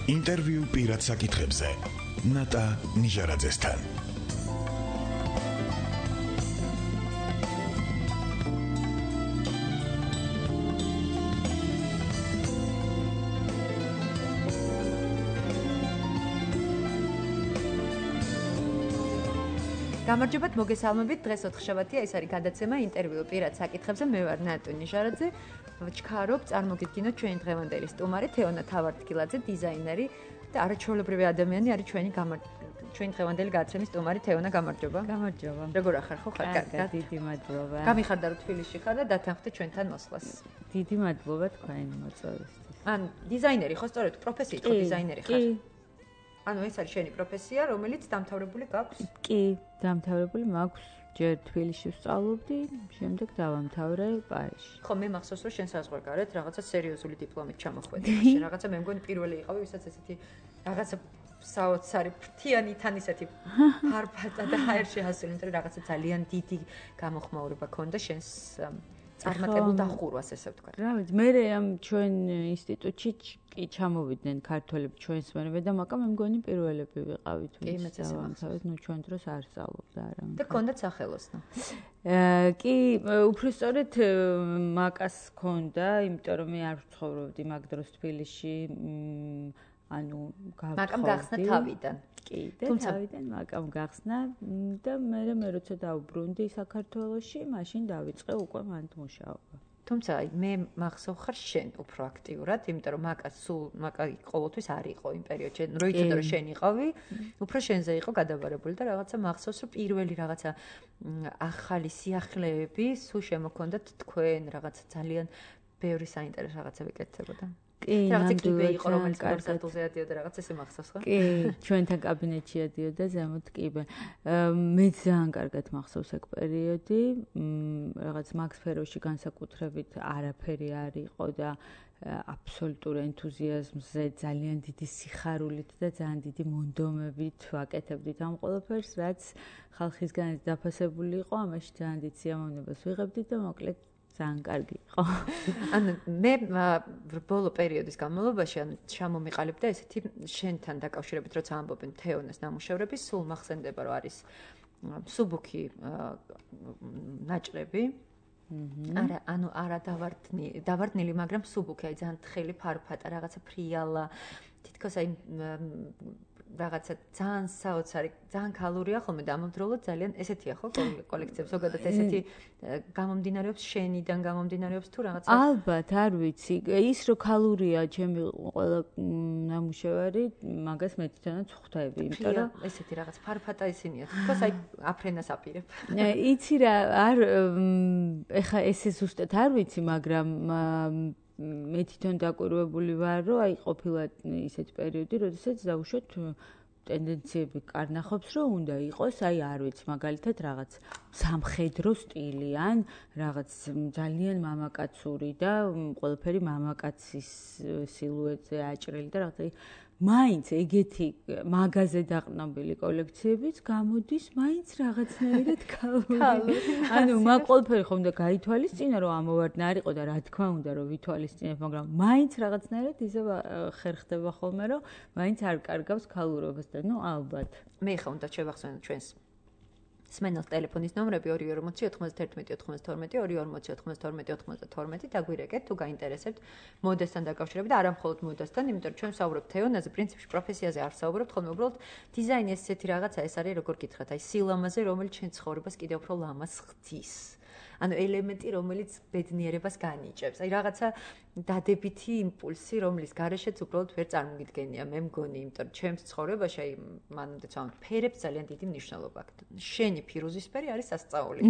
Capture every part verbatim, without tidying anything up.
ინტერვიუ პირად საკითხებზე ნატა ნიჟარაძესთან. გამარჯობათ, მოგესალმებით. დღეს ოთხშაბათია, ეს არის გადაცემა ინტერვიუ პირად საკითხებზე. მე ვარ ნატა ნიჟარაძე. ვჩქარობ, წარმოგიდგინოთ ჩვენი დღევანდელი სტუმარი თეონა თავარდგილაძე, დიზაინერი და არაჩვეულებრივი ადამიანი არის ჩვენი ჩვენი დღევანდელი გადაცემის სტუმარი თეონა. გამარჯობა. გამარჯობა. როგორ ახარ, ხო ხარ? კარგად. დიდი მადლობა. გამიხარდა რომ თბილისში ხარ და დათანხმდით ჩვენთან მოსვლას. დიდი მადლობა თქვენი მოწვევისთვის. ან დიზაინერი ხო, სწორედ პროფესიით ხო დიზაინერი ხარ? კი. ანუ ეს არის შენი პროფესია, რომელიც დამთავრებული გაქვს? კი, დამთავრებული მაქვს. ჯერ თბილისში ვსწავლობდი, შემდეგ დავამთავრე პარიზში. ხო, მე მახსოვს რომ შენ საზღვარგარეთ რაღაცა სერიოზული დიპლომით ჩამოხვედი. მაშინ რაღაცა მე მგონი პირველი იყავი, ვისაც ესეთი რაღაცა საოცარი ფრთიანი თან ისეთი ფარფატა და ჰაერში ასული, იმიტომ რომ რაღაცა ძალიან დიდი გამოხმაურება ქონდა შენს წარმატებულ დახურვას, ესე ვთქვა. რა ვიცი, მე ამ ჩვენ ინსტიტუტში კი ჩამოვიდნენ ქართველები ჩვენს მერე და მაკა მე მგონი პირველები ვიყავით, ვინც დავამთავრეთ, ნუ ჩვენ დროს არ სწავლობდა არა. და ქონდათ სახელოსნო. კი, უბრალოდ მაკას ქონდა, იმიტომ რომ მე არ ვცხოვრობდი მაგ დროს თბილისში, ანუ გავცხოვრდი. მაკამ გახსნა თავიდან. კი, და თავიდან მაკამ გახსნა და მე მე როცა დავბრუნდი საქართველოში, მაშინ დავიწყე უკვე მანდ მუშაობა. თუმცა მე მახსოვ ხარ შენ უფრო აქტიურად, იმიტომ რომ მაკა სულ მაკა ყოველთვის არ იყო იმ პერიოდში, რო იცოდა რომ შენ იყავი, უფრო შენზე იყო გადაბარებული და რაღაცა მახსოვს რომ პირველი რაღაცა ახალი სიახლეები სულ შემოქონდათ თქვენ, რაღაცა ძალიან ბევრი საინტერესო რაღაცები კეთდებოდა. კი, რაღაცა კლიპი იყო, რომელიც კონცერტზე ადიოდა, რაღაც ესე მახსოვს ხო? კი, ჩვენთან კაბინეტში ადიოდა ზემოთ კიბე. მე ძალიან კარგად მახსოვს ეგ პერიოდი, რაღაც მაგ სფეროში განსაკუთრებით არაფერი არ იყო და აბსოლუტურ ენთუზიაზმზე, ძალიან დიდი სიხარულით და ძალიან დიდი მონდომებით ვაკეთებდით ამ ყველაფერს, რაც ხალხისგან დაფასებული იყო, ამაში ძალიან დიდ სიამოვნებას ვიღებდით და მოკლედ ძალიან კარგი იყო. ანუ მე ბოლო პერიოდის განმავლობაში ანუ ჩამომიყალიბდა ესეთი შენთან დაკავშირებით, როცა ამბობენ თეონას ნამუშევრების, სულ მახსენდება რომ არის მსუბუქი ნაჭრები. არა, ანუ არა დავარდნილი, დავარდნილი, მაგრამ მსუბუქი, აი ძალიან თხელი ფარფატა, რაღაცა ფრიალა, თითქოს აი რაღაცა ძალიან საოცარი, ძალიან ქალურია ხოლმე და ამავდროულად ძალიან ესეთია ხო კოლექციები ზოგადად ესეთი გამომდინარეობს შენიდან გამომდინარეობს თუ რაღაცა ალბათ არ ვიცი ის რო ქალურია ჩემი ყველა ნამუშევარი მაგას მე თვითონაც ხვდები იმიტომ რომ ესეთი რაღაც ფარფატა ისინია თქოს აი აფრენას აპირებ იცი რა არ ეხა ესე ზუსტად არ ვიცი მაგრამ მე თვითონ დაკვირვებული ვარ, რომ აი ყოფილა ისეთი პერიოდი, როდესაც დავუშვათ ტენდენციები კარნახობს, რომ უნდა იყოს, აი არ ვიცი, მაგალითად რაღაც სამხედრო სტილი ან რაღაც ძალიან მამაკაცური და ყველაფერი მამაკაცის სილუეტზე აჭრილი და რაღაც მაინც ეგეთი მაღაზიაზე დაყრდნობილი კოლექციებიც გამოდის მაინც რაღაცნაირად ქალური. ანუ მაგ ყველაფერი ხომ და გაითვალისწინა რომ ამოვარდნა არ იყო და რა თქმა უნდა რომ ვითვალისწინებ, მაგრამ მაინც რაღაცნაირად ისე ხერხდება ხოლმე რომ მაინც არ კარგავს ქალურობას და ნუ ალბათ. მე ხა უნდა შევახსენო ჩვენს სმენელს ტელეფონის ნომრები ორი ორმოცი ოთხმოცდაერთმეტი ოთხმოცდათორმეტი ორი ორმოცი ოთხმოცდათორმეტი ოთხმოცდათორმეტი დაგვირეკეთ თუ გაინტერესებთ მოდასთან დაკავშირებით და არა მხოლოდ მოდასთან, იმიტომ რომ ჩვენ ვსაუბრობთ თეონაზე, პრინციპში პროფესიაზე არ ვსაუბრობთ, ხოლმე უბრალოდ დიზაინი ესეთი რაღაცა ეს არის როგორ გითხრათ, აი სილამაზე, რომელიც ჩვენ ცხოვრებას კიდევ უფრო ლამაზ ხდის. ანუ ელემენტი, რომელიც ბედნიერებას განიჭებს. აი რაღაცა დადებითი იმპულსი, რომლის გარეშეც უბრალოდ ვერ წარმოგიდგენია, მე მგონი, იმიტომ რომ ჩემს ცხოვრებაში აი მანამდე ვამბობ, ფერებს ძალიან დიდი მნიშვნელობა აქვს. შენი ფირუზისფერი არის სასწაული.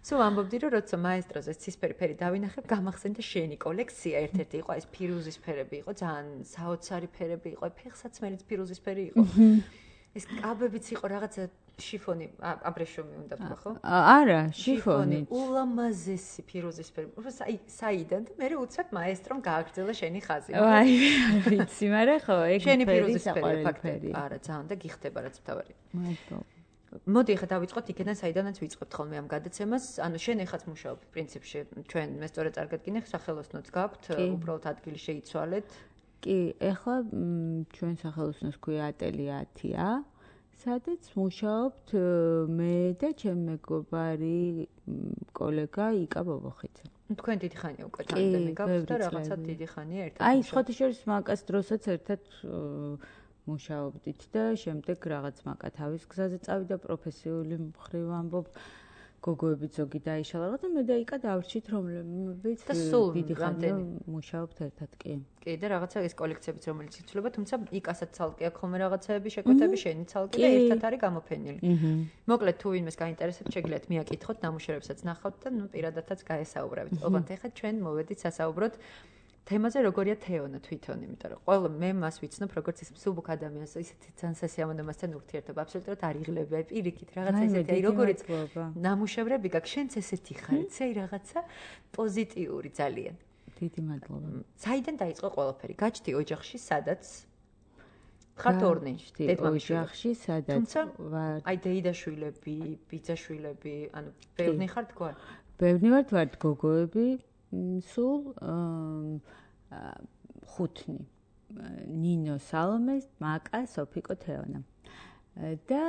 სულ ამბობდი, რომ როცა მაესტროზე ცისფერი ფერი დავინახებ, გამახსენდა შენი კოლექცია, ერთ-ერთი იყო ეს ფირუზისფერები იყო, ძალიან საოცარი ფერები იყო, ფეხსაცმელიც ფირუზისფერი იყო. ეს კაბებიც იყო რაღაცა შიფონი, აბრეშუმი უნდა ვთქვა, ხო? არა, შიფონი. ულამაზესი ფირუზისფერი. აი, საიდან და მე უცებ მაესტრომ გააგრძელა შენი ხაზი. აი, ვიცი, მაგრამ ხო, ეგ შენი ფირუზისფერია ფაქტია. არა, ძალიან და გიხდება რაც თავარი. მადლობა. მოდი ახლა დავიწყოთ იქედან, საიდანაც ვიწყებთ ხოლმე ამ გადაცემას. ანუ შენ ეხაც მუშაობ პრინციპში, ჩვენ მე სწორედ წარგადგინე, სახელოსნოც გაქვთ, უბრალოდ ადგილი შეიცვალეთ. კი, ეხლა ჩვენ სახელოსნოს ქვია ატელია ათია, სადაც მუშაობთ მე და ჩემი მეგობარი კოლეგა იკა ბობოხიძე. თქვენ დიდი ხანია უკვე თანდემი გაქვთ და რაღაცა დიდი ხანია ერთად. აი, სხვათა შორის მაკას დროსაც ერთად მუშაობდით და შემდეგ რაღაც მაკა თავის გზაზე წავიდა პროფესიული მხრივ ამბობ. გოგოები ზოგი დაიშალა და მე და იკა დავრჩით რომლებიც დიდი ხანია მუშაობთ ერთად კი. კი და რაღაცა ეს კოლექციებიც რომელიც იცვლება, თუმცა იკასაც ცალკე აქვს ხოლმე რაღაცაები, შეკვეთები შენი ცალკე და ერთად არის გამოფენილი. მოკლედ თუ ვინმეს გაინტერესებს, შეგიძლიათ მიაკითხოთ, ნამუშევრებსაც ნახავთ და ნუ პირადადაც გაესაუბრებით. ოღონდ ეხლა ჩვენ მოვედით სასაუბროთ თემაზე როგორია თეონა თვითონ, იმიტომ რომ ყველა მე მას ვიცნობ როგორც ის მსუბუქ ადამიანს, ისეთი ძალიან სასიამოვნო მასთან ურთიერთობა, აბსოლუტურად არ იღლება, პირიქით რაღაცა ისეთი, აი როგორიც ნამუშევრები გაქვს, შენც ესეთი ხარ, იცი რაღაცა პოზიტიური ძალიან. დიდი მადლობა. საიდან დაიწყო ყველაფერი? გაჩდი ოჯახში, სადაც ხართ ორნი, ოჯახში, სადაც ვარ. აი დეიდაშვილები, ბიძაშვილები, ანუ ბევრი ხართ თქვა? ბევრი ვართ, ვართ გოგოები. სულ ხუთნი ნინო სალომე მაკა სოფიკო თეონა და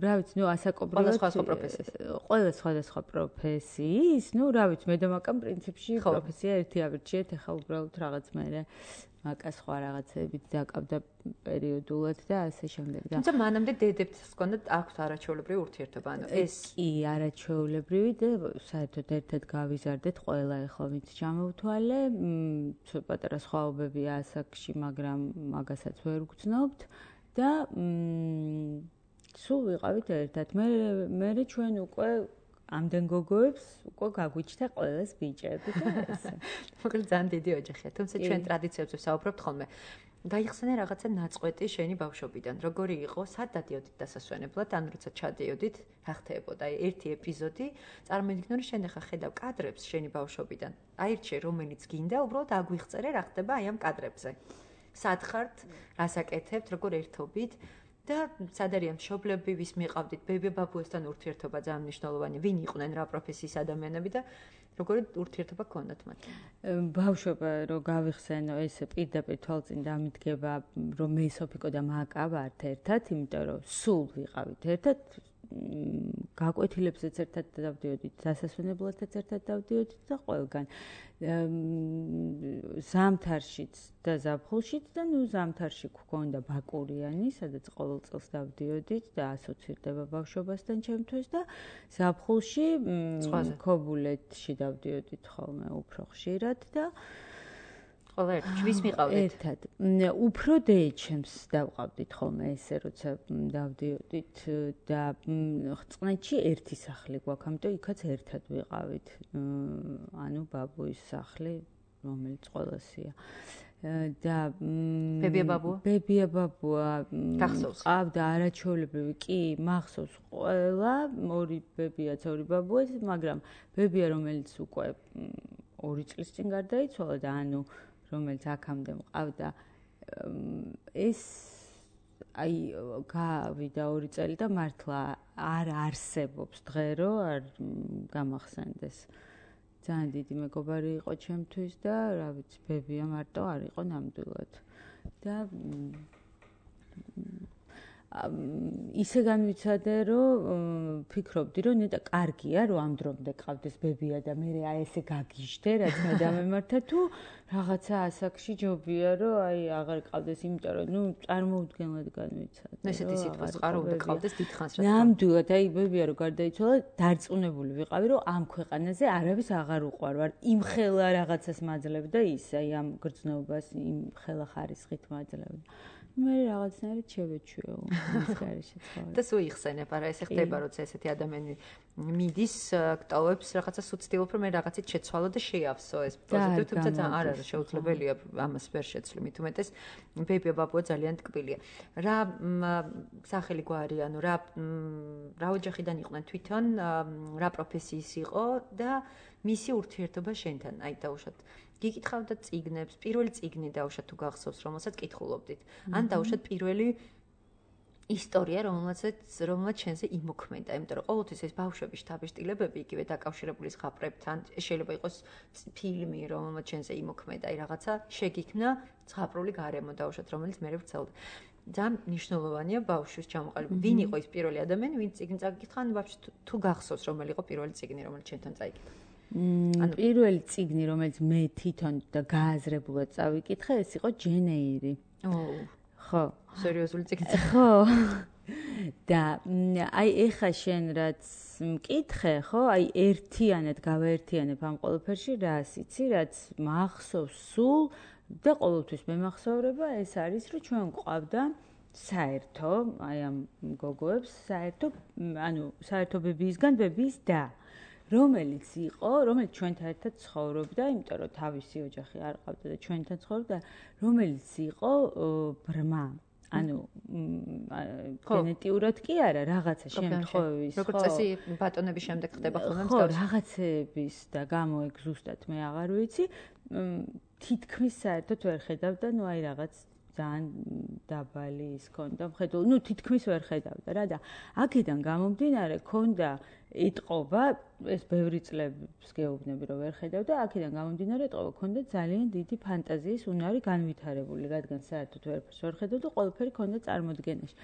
რა ვიცი ნუ ასაკობრივად ყველა სხვა პროფესიის ყველა სხვადასხვა პროფესიის ნუ რა ვიცი მე და მაკამ პრინციპში პროფესია ერთი ავირჩიეთ ეხლა უბრალოდ რაღაც მე მაკა სხვა რაღაცებით დაკავდა პერიოდულად და ასე შემდეგ და თუმცა მანამდე დედებთ ჰქონდათ აქვს არაჩვეულებრივი ურთიერთობა ანუ ეს კი არაჩვეულებრივი და საერთოდ ერთად გავიზარდეთ ყველა ეხლა ვინც ჩამოვთვალე ცოტა პატარა სხვაობებია ასაკში მაგრამ მაგასაც ვერ ვგრძნობთ და სულ ვიყავით ერთად მე მე ჩვენ უკვე ამდენ გოგოებს უკვე გაგვიჩნდა ყველას ბიჭები და ესე. მოკლედ ძალიან დიდი ოჯახია. თუმცა ჩვენ ტრადიციებზე ვსაუბრობთ ხოლმე. გაიხსენე რაღაცა ნაწყვეტი შენი ბავშვობიდან. როგორი იყო? სად დადიოდით დასასვენებლად? ან როცა ჩადიოდით, რა ხდებოდა? აი ერთი ეპიზოდი წარმოიდგინე რომ შენ ახლა ხედავ კადრებს შენი ბავშვობიდან. აირჩე რომელიც გინდა, უბრალოდ აგვიხწერე რა ხდება აი ამ კადრებზე. სად ხართ? რას აკეთებთ? როგორ ერთობით? და სად არის მშობლები, ვის მიყავდით, ბებია-ბაბუასთან ურთიერთობა ძალიან მნიშვნელოვანია. ვინ იყვნენ რა პროფესიის ადამიანები და როგორი ურთიერთობა გქონდათ მათთან? ბავშვობა რო გავიხსენო, ეს პირდაპირ თვალწინ დამიდგება, რომ მე სოფიკო და მაკა ვართ ერთად, იმიტომ რომ სულ ვიყავით ერთად. გაკვეთილებსაც ერთად დავდიოდით, დასასვენებლადაც ერთად დავდიოდით და ყველგან. ზამთარშიც და ზაფხულშიც და ნუ ზამთარში გქონდა ბაკურიანი, სადაც ყოველ წელს დავდიოდით და ასოცირდება ბავშვობასთან ჩემთვის და ზაფხულში ქობულეთში დავდიოდით ხოლმე უფრო ხშირად და ყველა ერთად ვის მიყავდით? ერთად. უფრო დეიჩემს დავყავდით ხოლმე ესე როცა დავდიოდით და წყნეთში ერთი სახლი გვაქვს, ამიტომ იქაც ერთად ვიყავით. ანუ ბაბუის სახლი, რომელიც ყველასია. და ბებია-ბაბუა? ბებია-ბაბუა გახსოვს? ყავდა არაჩვეულებრივი, კი, მახსოვს ყველა, ორი ბებიაც, ორი ბაბუაც, მაგრამ ბებია რომელიც უკვე ორი წლის წინ გარდაიცვალა და ანუ რომელიც აქამდე მყავდა ეს აი გავიდა ორი წელი და მართლა არ არსებობს დღე რომ არ გამახსენდეს ძალიან დიდი მეგობარი იყო ჩემთვის და რა ვიცი ბებია მარტო არ იყო ნამდვილად და ისე განვიცადე რომ ფიქრობდი რომ ნეტა კარგია რომ ამ დრომდე ყავდეს ბებია და მე აი ესე გაგიჟდე რაც მე დამემართა თუ რაღაცა ასაკში ჯობია რომ აი აღარ ყავდეს იმიტომ რომ ნუ წარმოუდგენლად განვიცადე ესეთი სიტყვის წყარო უნდა ყავდეს დიდხანს რა ნამდვილად აი ბებია რომ გარდაიცვალა დარწმუნებული ვიყავი რომ ამ ქვეყანაზე არავის აღარ უყვარვარ იმ ხელა რაღაცას მაძლევდა ის აი ამ გრძნობას იმ ხელა ხარისხით მაძლევდა მე რაღაცნაირად შევეჩვეო ის გარეშე ცხოვრება. და სულ იხსენებ, არა ესე ხდება, როცა ესეთი ადამიანი მიდის, გტოვებს რაღაცა სუცდილობ, რომ მე რაღაცით შეცვალო და შეავსო ეს პოზიტივი, თუმცა ძალიან არ არის შეუძლებელია ამას ვერ შეცვლი, მით უმეტეს ბებია-ბაბუა ძალიან ტკბილია. რა სახელი გვარი, ანუ რა რა ოჯახიდან იყვნენ თვითონ, რა პროფესიის იყო და მისი ურთიერთობა შენთან, აი დაუშვათ გიკითხავდა წიგნებს, პირველი წიგნი დაუშვათ თუ გახსოვს, რომელსაც კითხულობდით. ან დაუშვათ პირველი ისტორია, რომელსაც რომელსაც შენზე იმოქმედა, იმიტომ რომ ყოველთვის ეს ბავშვების შთაბეჭდილებები იგივე დაკავშირებული ზღაპრებთან, შეიძლება იყოს ფილმი, რომელსაც შენზე იმოქმედა, აი რაღაცა შეგიქმნა ზღაპრული გარემო დაუშვათ, რომელიც მე ვცელდა. ძალიან მნიშვნელოვანია ბავშვის ჩამოყალიბება. ვინ იყო ის პირველი ადამიანი, ვინც წიგნი წაკითხა, ან ვაფშე თუ გახსოვს, რომელი იყო პირველი წიგნი, რომელიც შენთან წაიკითხა? ანუ პირველი წიგნი, რომელიც მე თვითონ და გააზრებულად წავიკითხე, ეს იყო ჯენ ეირი. ოუ. ხო. სერიოზული წიგნი. ხო. და აი ეხა შენ რაც მკითხე, ხო? აი ერთიანად გავაერთიანებ ამ ყველაფერში რას იცი, რაც მახსოვს სულ და ყოველთვის მემახსოვრება ეს არის, რომ ჩვენ გვყავდა საერთო, აი ამ გოგოებს, საერთო, ანუ საერთო ბებიისგან ბებიის და რომელიც იყო, რომელიც ჩვენთან ერთად ცხოვრობდა, იმიტომ რომ თავისი ოჯახი არ ყავდა და ჩვენთან ცხოვრობდა, რომელიც იყო ბრმა. ანუ გენეტიურად კი არა, რაღაცა შემთხვევის, ხო. როგორც წესი ბატონების შემდეგ ხდება ხოლმე მსგავსი. ხო, რაღაცების და გამო ეგ ზუსტად მე აღარ ვიცი. თითქმის საერთოდ ვერ ხედავდა, ნუ აი რაღაც ძალიან დაბალი ის ქონდა მხედველი, ნუ თითქმის ვერ ხედავდა რა და აქედან გამომდინარე ქონდა ეტყობა, ეს ბევრი წლებს გეუბნები რომ ვერ ხედავდა, აქედან გამომდინარე ეტყობა ქონდა ძალიან დიდი ფანტაზიის უნარი განვითარებული, რადგან საერთოდ ვერაფერს ვერ ხედავდა, ყველაფერი ქონდა წარმოდგენაში.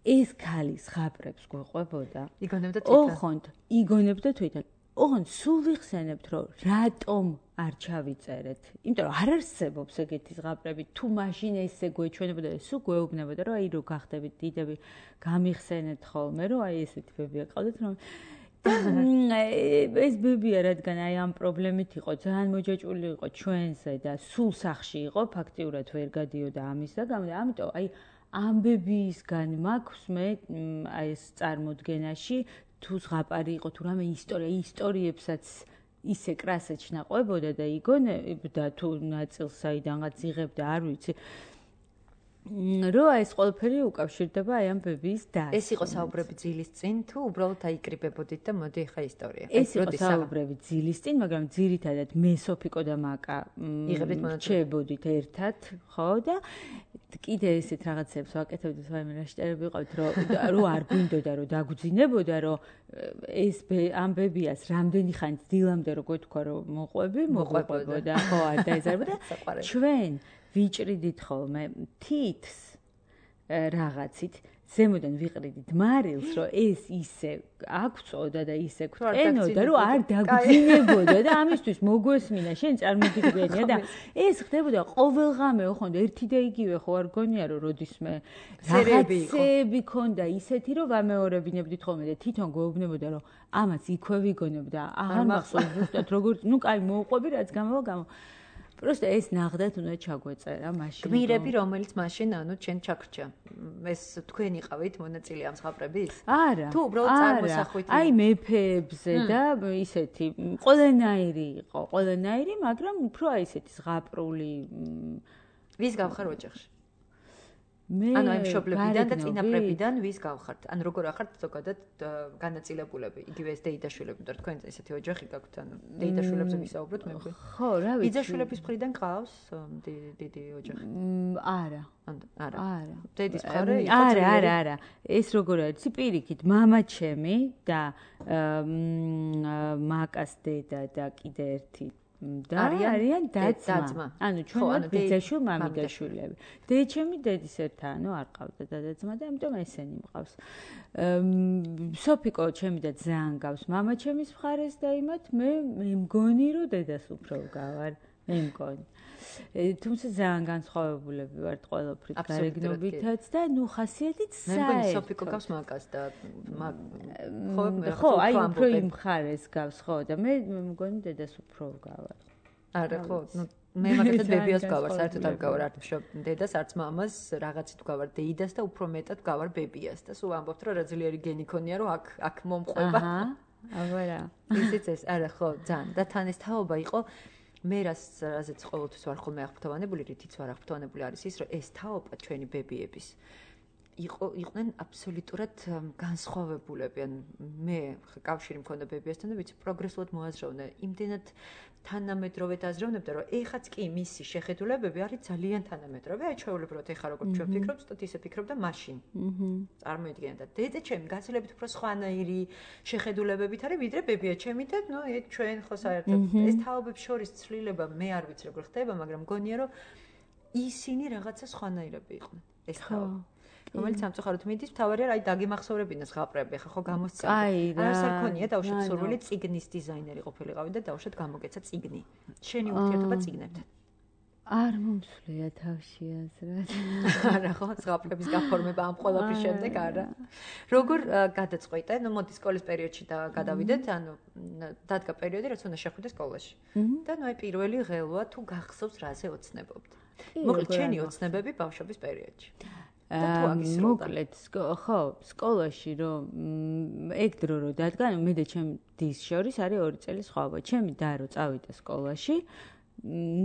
ეს ქალი ზღაპრებს გვეყვებოდა. იგონებდა თვითონ. ოხონდ, იგონებდა თვითონ. ოღონდ სულ ვიხსენებთ, რომ რატომ არ ჩავიწერეთ. იმიტომ რომ არ არსებობს ეგეთი ზღაპრები, თუ მაშინ ესე გვეჩვენებოდა, სულ გვეუბნებოდა, რომ აი რო გახდებით დიდები, გამიხსენეთ ხოლმე, რომ აი ესეთი ბებია ყავდეთ, რომ ეს ბებია, რადგან აი ამ პრობლემით იყო, ძალიან მოჯაჭვული იყო ჩვენზე და სულ სახში იყო, ფაქტიურად ვერ გადიოდა ამისა გამო და ამიტომ აი ამ ბებიისგან მაქვს მე აი ეს წარმოდგენაში თუ ზღაპარი იყო თუ რამე ისტორია, ისტორიებსაც ისე კრასეჩ ნაყვებოდა და იგონებდა თუ ნაწილს საიდანღაც იღებდა, არ ვიცი. რო ეს ყველაფერი უკავშირდება აი ამ ბებიის დასს. ეს იყო საუბრები ძილის წინ თუ უბრალოდ აიკრიბებოდით და მოდი ახლა ისტორია. ეს იყო საუბრები ძილის წინ, მაგრამ ძირითადად მე სოფიკო და მაკა რჩებოდით ერთად, ხო და კიდე ესეთ რაღაცებს ვაკეთებდით, ვაიმე რა შტერები ვიყავით, რომ რო არ გვინდოდა რომ დაგვძინებოდა, რომ ეს ამ ბებიას რამდენი ხანი დილამდე რო გეთქვა რომ მოყვები, მოყვებოდა, ხო, არ დაეზარებოდა. ჩვენ ვიჭრიდით ხოლმე თითს რაღაცით, ზემოდან ვიყრიდით მარილს, რომ ეს ისე აქწოდა და ისე გვტენოდა, რომ არ დაგვძინებოდა და ამისთვის მოგვესმინა, შენ წარმოგიდგენია და ეს ხდებოდა ყოველღამე, ოხონდ ერთი და იგივე ხო არ გონია, რომ როდისმე რაღაცები ქონდა ისეთი, რომ ვამეორებინებდით ხოლმე და თვითონ გვეუბნებოდა, რომ ამას იქვე ვიგონებდა, აღარ მახსოვს ზუსტად როგორც, ნუ კაი მოუყვები, რაც გამოვა გამო просто ეს ნახდათ უნდა ჩაგვეწერა მაშინ. გმირები, რომელიც მაშინ ანუ ჩვენ ჩაქრჩა. ეს თქვენ იყავით მონაწილე ამ ზღაპრების? არა. თუ უბრალოდ წარმოსახვით. აი მეფეებზე და ისეთი ყველანაირი იყო, ყველანაირი, მაგრამ უფრო აი ესეთი ზღაპრული ვის გავხარ ოჯახში? მე ანუ აი მშობლებიდან და წინაპრებიდან ვის გავხართ? ანუ როგორ ახართ ზოგადად განაწილებულები? იგივე ეს დეიდაშვილები, იმიტომ რომ თქვენ ესეთი ოჯახი გაქვთ, ანუ დეიდაშვილებზე ვისაუბროთ მე მგონი. ხო, რა ვიცი. ბიძაშვილების მხრიდან ყავს დიდი ოჯახი? არა. არა. არა. დედის მხარე იყო? არა, არა, არა. ეს როგორ არის? პირიქით, მამა ჩემი და მაკას დედა და კიდე ერთი და არიან დაძმა. ანუ ჩვენ ბიძაშვილ მამიდაშვილები. დედაჩემი დედის ერთა, ანუ არ ყავდა დადაძმა და ამიტომ ესენი მყავს. სოფიკო ჩემი და ძალიან გავს მამა ჩემის მხარეს და იმათ მე მე მგონი რომ დედას უფრო გავარ. მე მგონი. თუმცა ძალიან განსხვავებულები ვართ ყველაფრით გარეგნობითაც და ნუ ხასიათით საერთოდ. მე მგონი სოფიკო გავს მაკას და ხო, აი უფრო იმ მხარეს გავს ხო და მე მგონი დედას უფრო გავარ. არა ხო, ნუ მე მაგათაც ბებიას გავარ, საერთოდ არ გავარ არც დედას, არც მამას, რაღაცით გავარ დეიდას და უფრო მეტად გავარ ბებიას და სულ ამბობთ რომ რა ძლიერი გენი ქონია რომ აქ აქ მომყვება. აჰა. აბარა. ისიც ეს, არა ხო, ძალიან და თან ეს თაობა იყო მე რას რაზეც ყოველთვის ვარ ხოლმე აღფრთოვანებული, რითიც ვარ აღფრთოვანებული არის ის, რომ ეს თაობა ჩვენი ბებიების იყვნენ აბსოლუტურად განსხვავებულები. ან მე კავშირი მქონდა ბებიასთან და ვიცი პროგრესულად მოაზროვნე. იმდენად თანამედროვე დაზროვნებდა, რომ ეხაც კი მისი შეხედულებები არის ძალიან თანამედროვე. აი ჩვეულებრივად ეხა როგორ ჩვენ ვფიქრობთ, თოთ ისე ფიქრობდა მაშინ. აჰა. წარმოიდგინე და დედა ჩემი გაცილებით უფრო სხვანაირი შეხედულებებით არის, ვიდრე ბებია ჩემი და ნუ ჩვენ ხო საერთოდ ეს თაობებს შორის ცვლილება მე არ ვიცი როგორ ხდება, მაგრამ მგონია რომ ისინი რაღაცა სხვანაირები იყვნენ. ეს თაობა რომელიც სამწუხაროდ მიდის, თავარია აი დაგემახსოვრებინეს ღაპრები, ხა ხო გამოსცემ. აი რა. არასარ ქონია დავუშვათ სურვილი წიგნის დიზაინერი ყოფილიყავი და დავუშვათ გამოგეცა წიგნი. შენი ურთიერთობა წიგნებთან. არ მომსვლია თავში აზრად. არა ხო, ღაპრების გაფორმება ამ ყველაფრის შემდეგ არა. როგორ გადაწყვიტე? ნუ მოდი სკოლის პერიოდში და გადავიდეთ, ანუ დადგა პერიოდი, რაც უნდა შეხვიდე სკოლაში. და ნუ აი პირველი ღელვა თუ გახსოვს რაზე ოცნებობდი. მოკლედ შენი ოცნებები ბავშვობის პერიოდში. მოკლედ ხო სკოლაში რომ ეგ დრო რო დადგა მე და ჩემ დის შორის არის ორი წელი სხვაობა ჩემი და რო წავიდა სკოლაში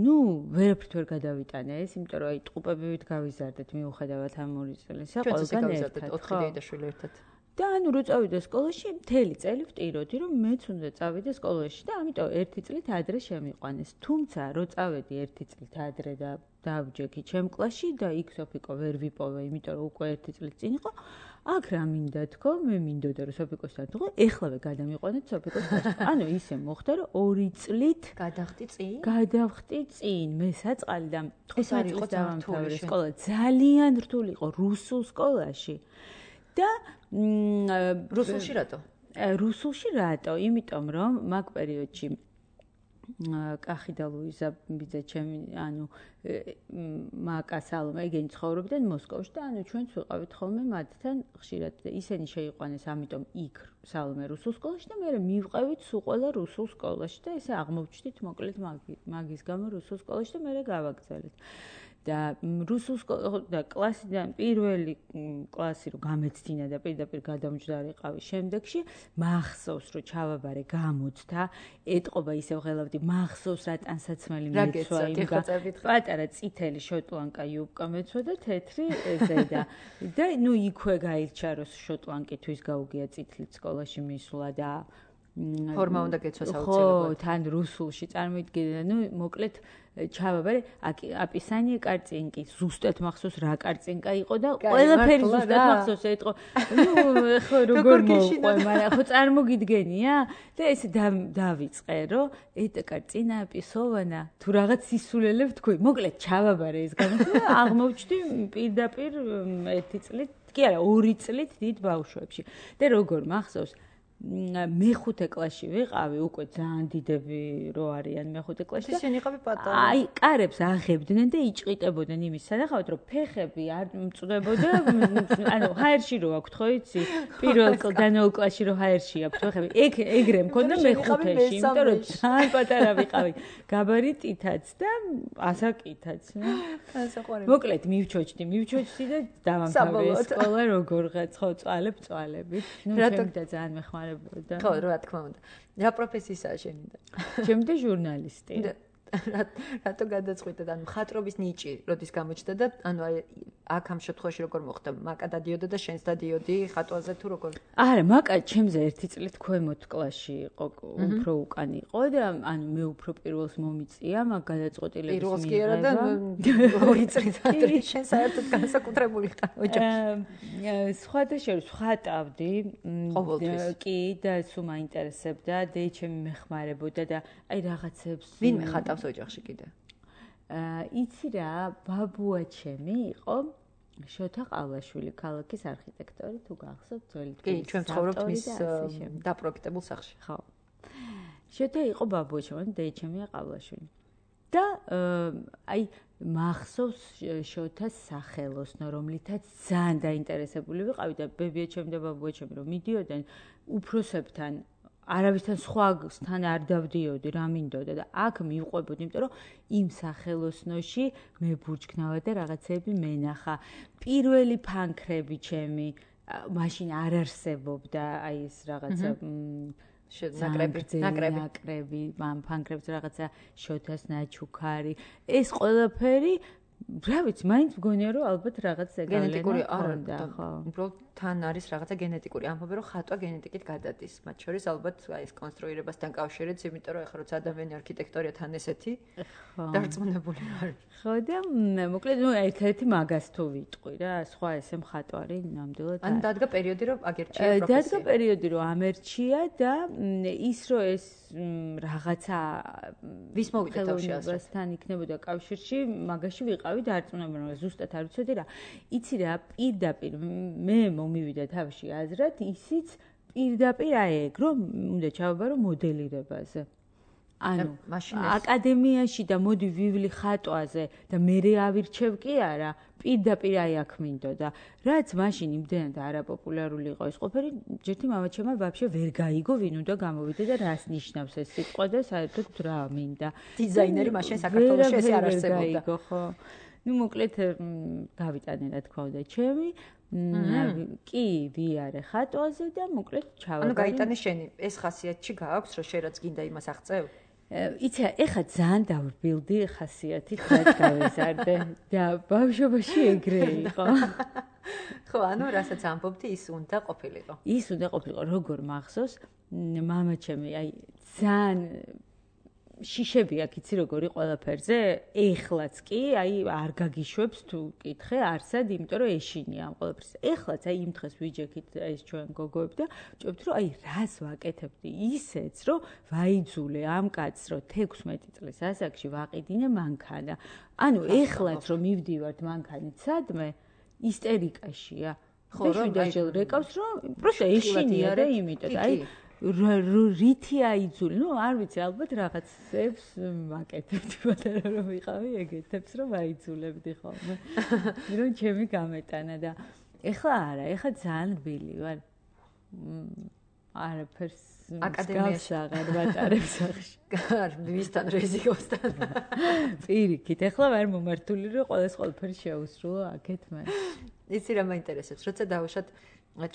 ნუ ვერაფრით ვერ გადავიტანე ეს იმიტომ რომ აი ტყუპებივით გავიზარდეთ მიუხედავად ამ ორი წელისა ყველგან ერთად ოთხი დედა-შვილი ერთად და ანუ რო წავიდა სკოლაში მთელი წელი ვტიროდი რომ მეც უნდა წავიდე სკოლაში და ამიტომ ერთი წლით ადრე შემიყვანეს თუმცა რო წავედი ერთი წლით ადრე და დავჯექი ჩემ კლასში და იქ სოფიკო ვერ ვიპოვე, იმიტომ რომ უკვე ერთი წლით წინ იყო. აქ რა მინდა თქო, მე მინდოდა რომ სოფიკოსთან თქო, ეხლავე გადამიყვანეთ სოფიკოს კლასში. ანუ ისე მოხდა რომ ორი წლით გადახტი წინ? გადავხტი წინ, მე საწყალი და თხუთმეტ წელს დავამთავრე სკოლა. ძალიან რთული იყო რუსულ სკოლაში. და რუსულში რატო? რუსულში რატო? იმიტომ რომ მაგ პერიოდში კახი და ლუიზა ბიძა ჩემი ანუ მაკა სალომე ეგენი ცხოვრობდნენ მოსკოვში და ანუ ჩვენც ვიყავით ხოლმე მათთან ხშირად და ისინი შეიყვანეს ამიტომ იქ სალომე რუსულ სკოლაში და მე მივყევით სულ ყველა რუსულ სკოლაში და ესე აღმოვჩდით მოკლედ მაგის გამო რუსულ სკოლაში და მე გავაგზავნეთ და რუსულ და კლასიდან პირველი კლასი რო გამეცდინა და პირდაპირ გადამჯდარიყავი შემდეგში მახსოვს რომ ჩავაბარე გამოცდა ეტყობა ისევ ღელავდი მახსოვს რა ტანსაცმელი მეცვა იმ პატარა წითელი შოტლანკა იუბკა მეცვა და თეთრი ზედა და ნუ იქვე გაირჩა რომ შოტლანკითვის გაუგია წითლით სკოლაში მისვლა და ფორმა უნდა გეცვას აუცილებლად. ხო, თან რუსულში წარმოიდგინე, ნუ მოკლედ ჩავაბარე, აპისანი კარწინკი, ზუსტად მახსოვს რა კარწინკა იყო და ყველაფერი ზუსტად მახსოვს ეთყო. ნუ ხო როგორ მოყვე, მაგრამ ხო წარმოგიდგენია და ესე დავიწყე, რომ ეტა კარწინა პისოვანა, თუ რაღაც სისულელებ თქვი, მოკლედ ჩავაბარე ეს გამოსვლა, აღმოვჩდი პირდაპირ ერთი წლით, კი არა, ორი წლით დიდ ბავშვებში. და როგორ მახსოვს მეხუთე კლასში ვიყავი, უკვე ძალიან დიდები რო არიან მეხუთე კლასში. ისინი იყავი პატარა. აი, კარებს აღებდნენ და იჭყიტებოდნენ იმის სანახავად, რომ ფეხები არ მწვდებოდა, ანუ ჰაერში რო აქვთ, ხო იცი? პირველ დანეულ კლასში რო ჰაერში აქვთ ფეხები. ეგ ეგრე მქონდა მეხუთეში, იმიტომ რომ ძალიან პატარა ვიყავი. გაბარიტითაც და ასაკითაც. ასაყვარელი. მოკლედ მივჩოჩდი, მივჩოჩდი და დავამთავრე სკოლა როგორღაც, ხო, წვალებ წვალებით. ნუ ჩემი და ძალიან მეხმარებოდა. ხო, რა თქმა უნდა. რა პროფესიისაა შენი და? ჩემი და ჟურნალისტი. რატო გადაწყვიტე და მხატვრობის ნიჭი როდის გამოჩნდა და ანუ აი აქ ამ შემთხვევაში როგორ მოხდა? მაკა დადიოდა და შენს დადიოდი ხატვაზე თუ როგორ? არა, მაკა ჩემზე ერთი წლით ქვემოთ კლასში იყო, უფრო უკან იყო და ანუ მე უფრო პირველს მომიწია, მაგ გადაწყვეტილების პირველს კი არა და ორი წლით ადრე შენ საერთოდ განსაკუთრებული ხარ ოჯახში. სხვადასხვა ხატავდი, კი და სულ მაინტერესებდა, დეიჩემი მეხმარებოდა და აი რაღაცებს ვინ მეხატავს ოჯახში კიდე? აა იცი რა, ბაბუა ჩემი იყო შოთა ყავლაშვილი, ქალაქის არქიტექტორი, თუ გახსოვთ, ძველი კი, ჩვენ ცხოვრობთ მის დაპროექტებულ სახლში. ხო. შოთა იყო ბაბუა ჩემი, დეიჩემია ყავლაშვილი. და აი მახსოვს შოთას სახელოსნო, რომლითაც ძალიან დაინტერესებული ვიყავი და ბებია ჩემი და ბაბუა ჩემი რომ მიდიოდნენ უფროსებთან არავისთან სხვასთან არ დავდიოდი, რა მინდოდა და აქ მივყვებოდი, იმიტომ რომ იმ სახელოსნოში მე ბურჩქნავა და რაღაცები მენახა. პირველი ფანქრები ჩემი მაშინ არ არსებობდა, აი ეს რაღაცა ნაკრები, ნაკრები, ნაკრები, მან ფანქრებს რაღაცა შოთას ნაჩუქარი. ეს ყველაფერი რა ვიცი, მაინც მგონია რომ ალბათ რაღაც გენეტიკური ზეგავლენა ხო. უბრალოდ თან არის რაღაცა გენეტიკური ამბობი, რომ ხატვა გენეტიკით გადადის. მათ შორის ალბათ აი ეს კონსტრუირებასთან კავშირიც, იმიტომ რომ ეხლა როცა ადამიანი არქიტექტორია თან ესეთი დარწმუნებული ვარ. ხო და მოკლედ ნუ ერთ-ერთი მაგას თუ ვიტყვი რა, სხვა ესე მხატვარი ნამდვილად. ან დადგა პერიოდი რომ აგერჩია პროფესია. დადგა პერიოდი რომ ამერჩია და ის რომ ეს რაღაცა ვის მოვიდა თავში ასე. თან იქნებოდა კავშირში, მაგაში ვიყავი დარწმუნებული რომ ზუსტად არ ვიცოდი რა. იცი რა, პირდაპირ მე მომივიდა თავში აზრად, ისიც პირდაპირ აი ეგ რომ უნდა ჩავაბარო მოდელირებაზე. ანუ აკადემიაში და მოდი ვივლი ხატვაზე და მე ავირჩევ კი არა, პირდაპირ აი აქ მინდოდა. რაც მაშინ იმდენად არაპოპულარული იყო ეს ყველაფერი, ჯერთი მამაჩემმა ვაფშე ვერ გაიგო, ვინ უნდა გამოვიდა და რას ნიშნავს ეს სიტყვა და საერთოდ რა მინდა. დიზაინერი მაშინ საქართველოში ესე არ არსებობდა. ხო. ნუ მოკლედ გავიტანე რა თქვა უნდა ჩემი. კი, ვიარე ხატვაზე და მოკლედ ჩავაბარე. ანუ გაიტანე შენი, ეს ხასიათი გააქვს, რომ შენ რაც გინდა იმას აღწევ? იცი, ეხა ძალიან დავრბილდი ხასიათით, რაც გავეზარდე და ბავშვობაში ეგრე იყო. ხო, ანუ რასაც ამბობდი, ის უნდა ყოფილიყო. ის უნდა ყოფილიყო, როგორ მახსოვს, მამაჩემი, აი ძალიან შიშები აქ იცი როგორი ყველაფერზე, ეხლაც კი, აი არ გაგიშვებს თუ კითხე არსად, იმიტომ რომ ეშინია ამ ყველაფერს. ეხლაც აი იმ დღეს ვიჯექით ეს ჩვენ გოგოები და ვჭობთ რომ აი რას ვაკეთებდი ისეც რომ ვაიძულე ამ კაცს რომ თექვსმეტი წლის ასაკში ვაყიდინე მანქანა. ანუ ეხლაც რომ მივდივართ მანქანით სადმე ისტერიკაშია. ხო, რომ დაჟელ რეკავს რომ პროსტა ეშინია და იმიტომ აი რითი აიძული, ნუ არ ვიცი, ალბათ რაღაცებს ვაკეთებდი, მაგრამ რომ ვიყავი ეგეთებს რომ აიძულებდი ხოლმე. რომ ჩემი გამეტანა და ეხლა არა, ეხლა ძალიან რბილი ვარ. არაფერს აკადემიაში აღარ ვატარებ სახში. ვისთან რეზიკოსთან. პირიქით, ეხლა ვარ მომართული რომ ყოველს ყველაფერი შეუსრულო აქეთ მე. იცი რა მაინტერესებს, როცა დავუშვათ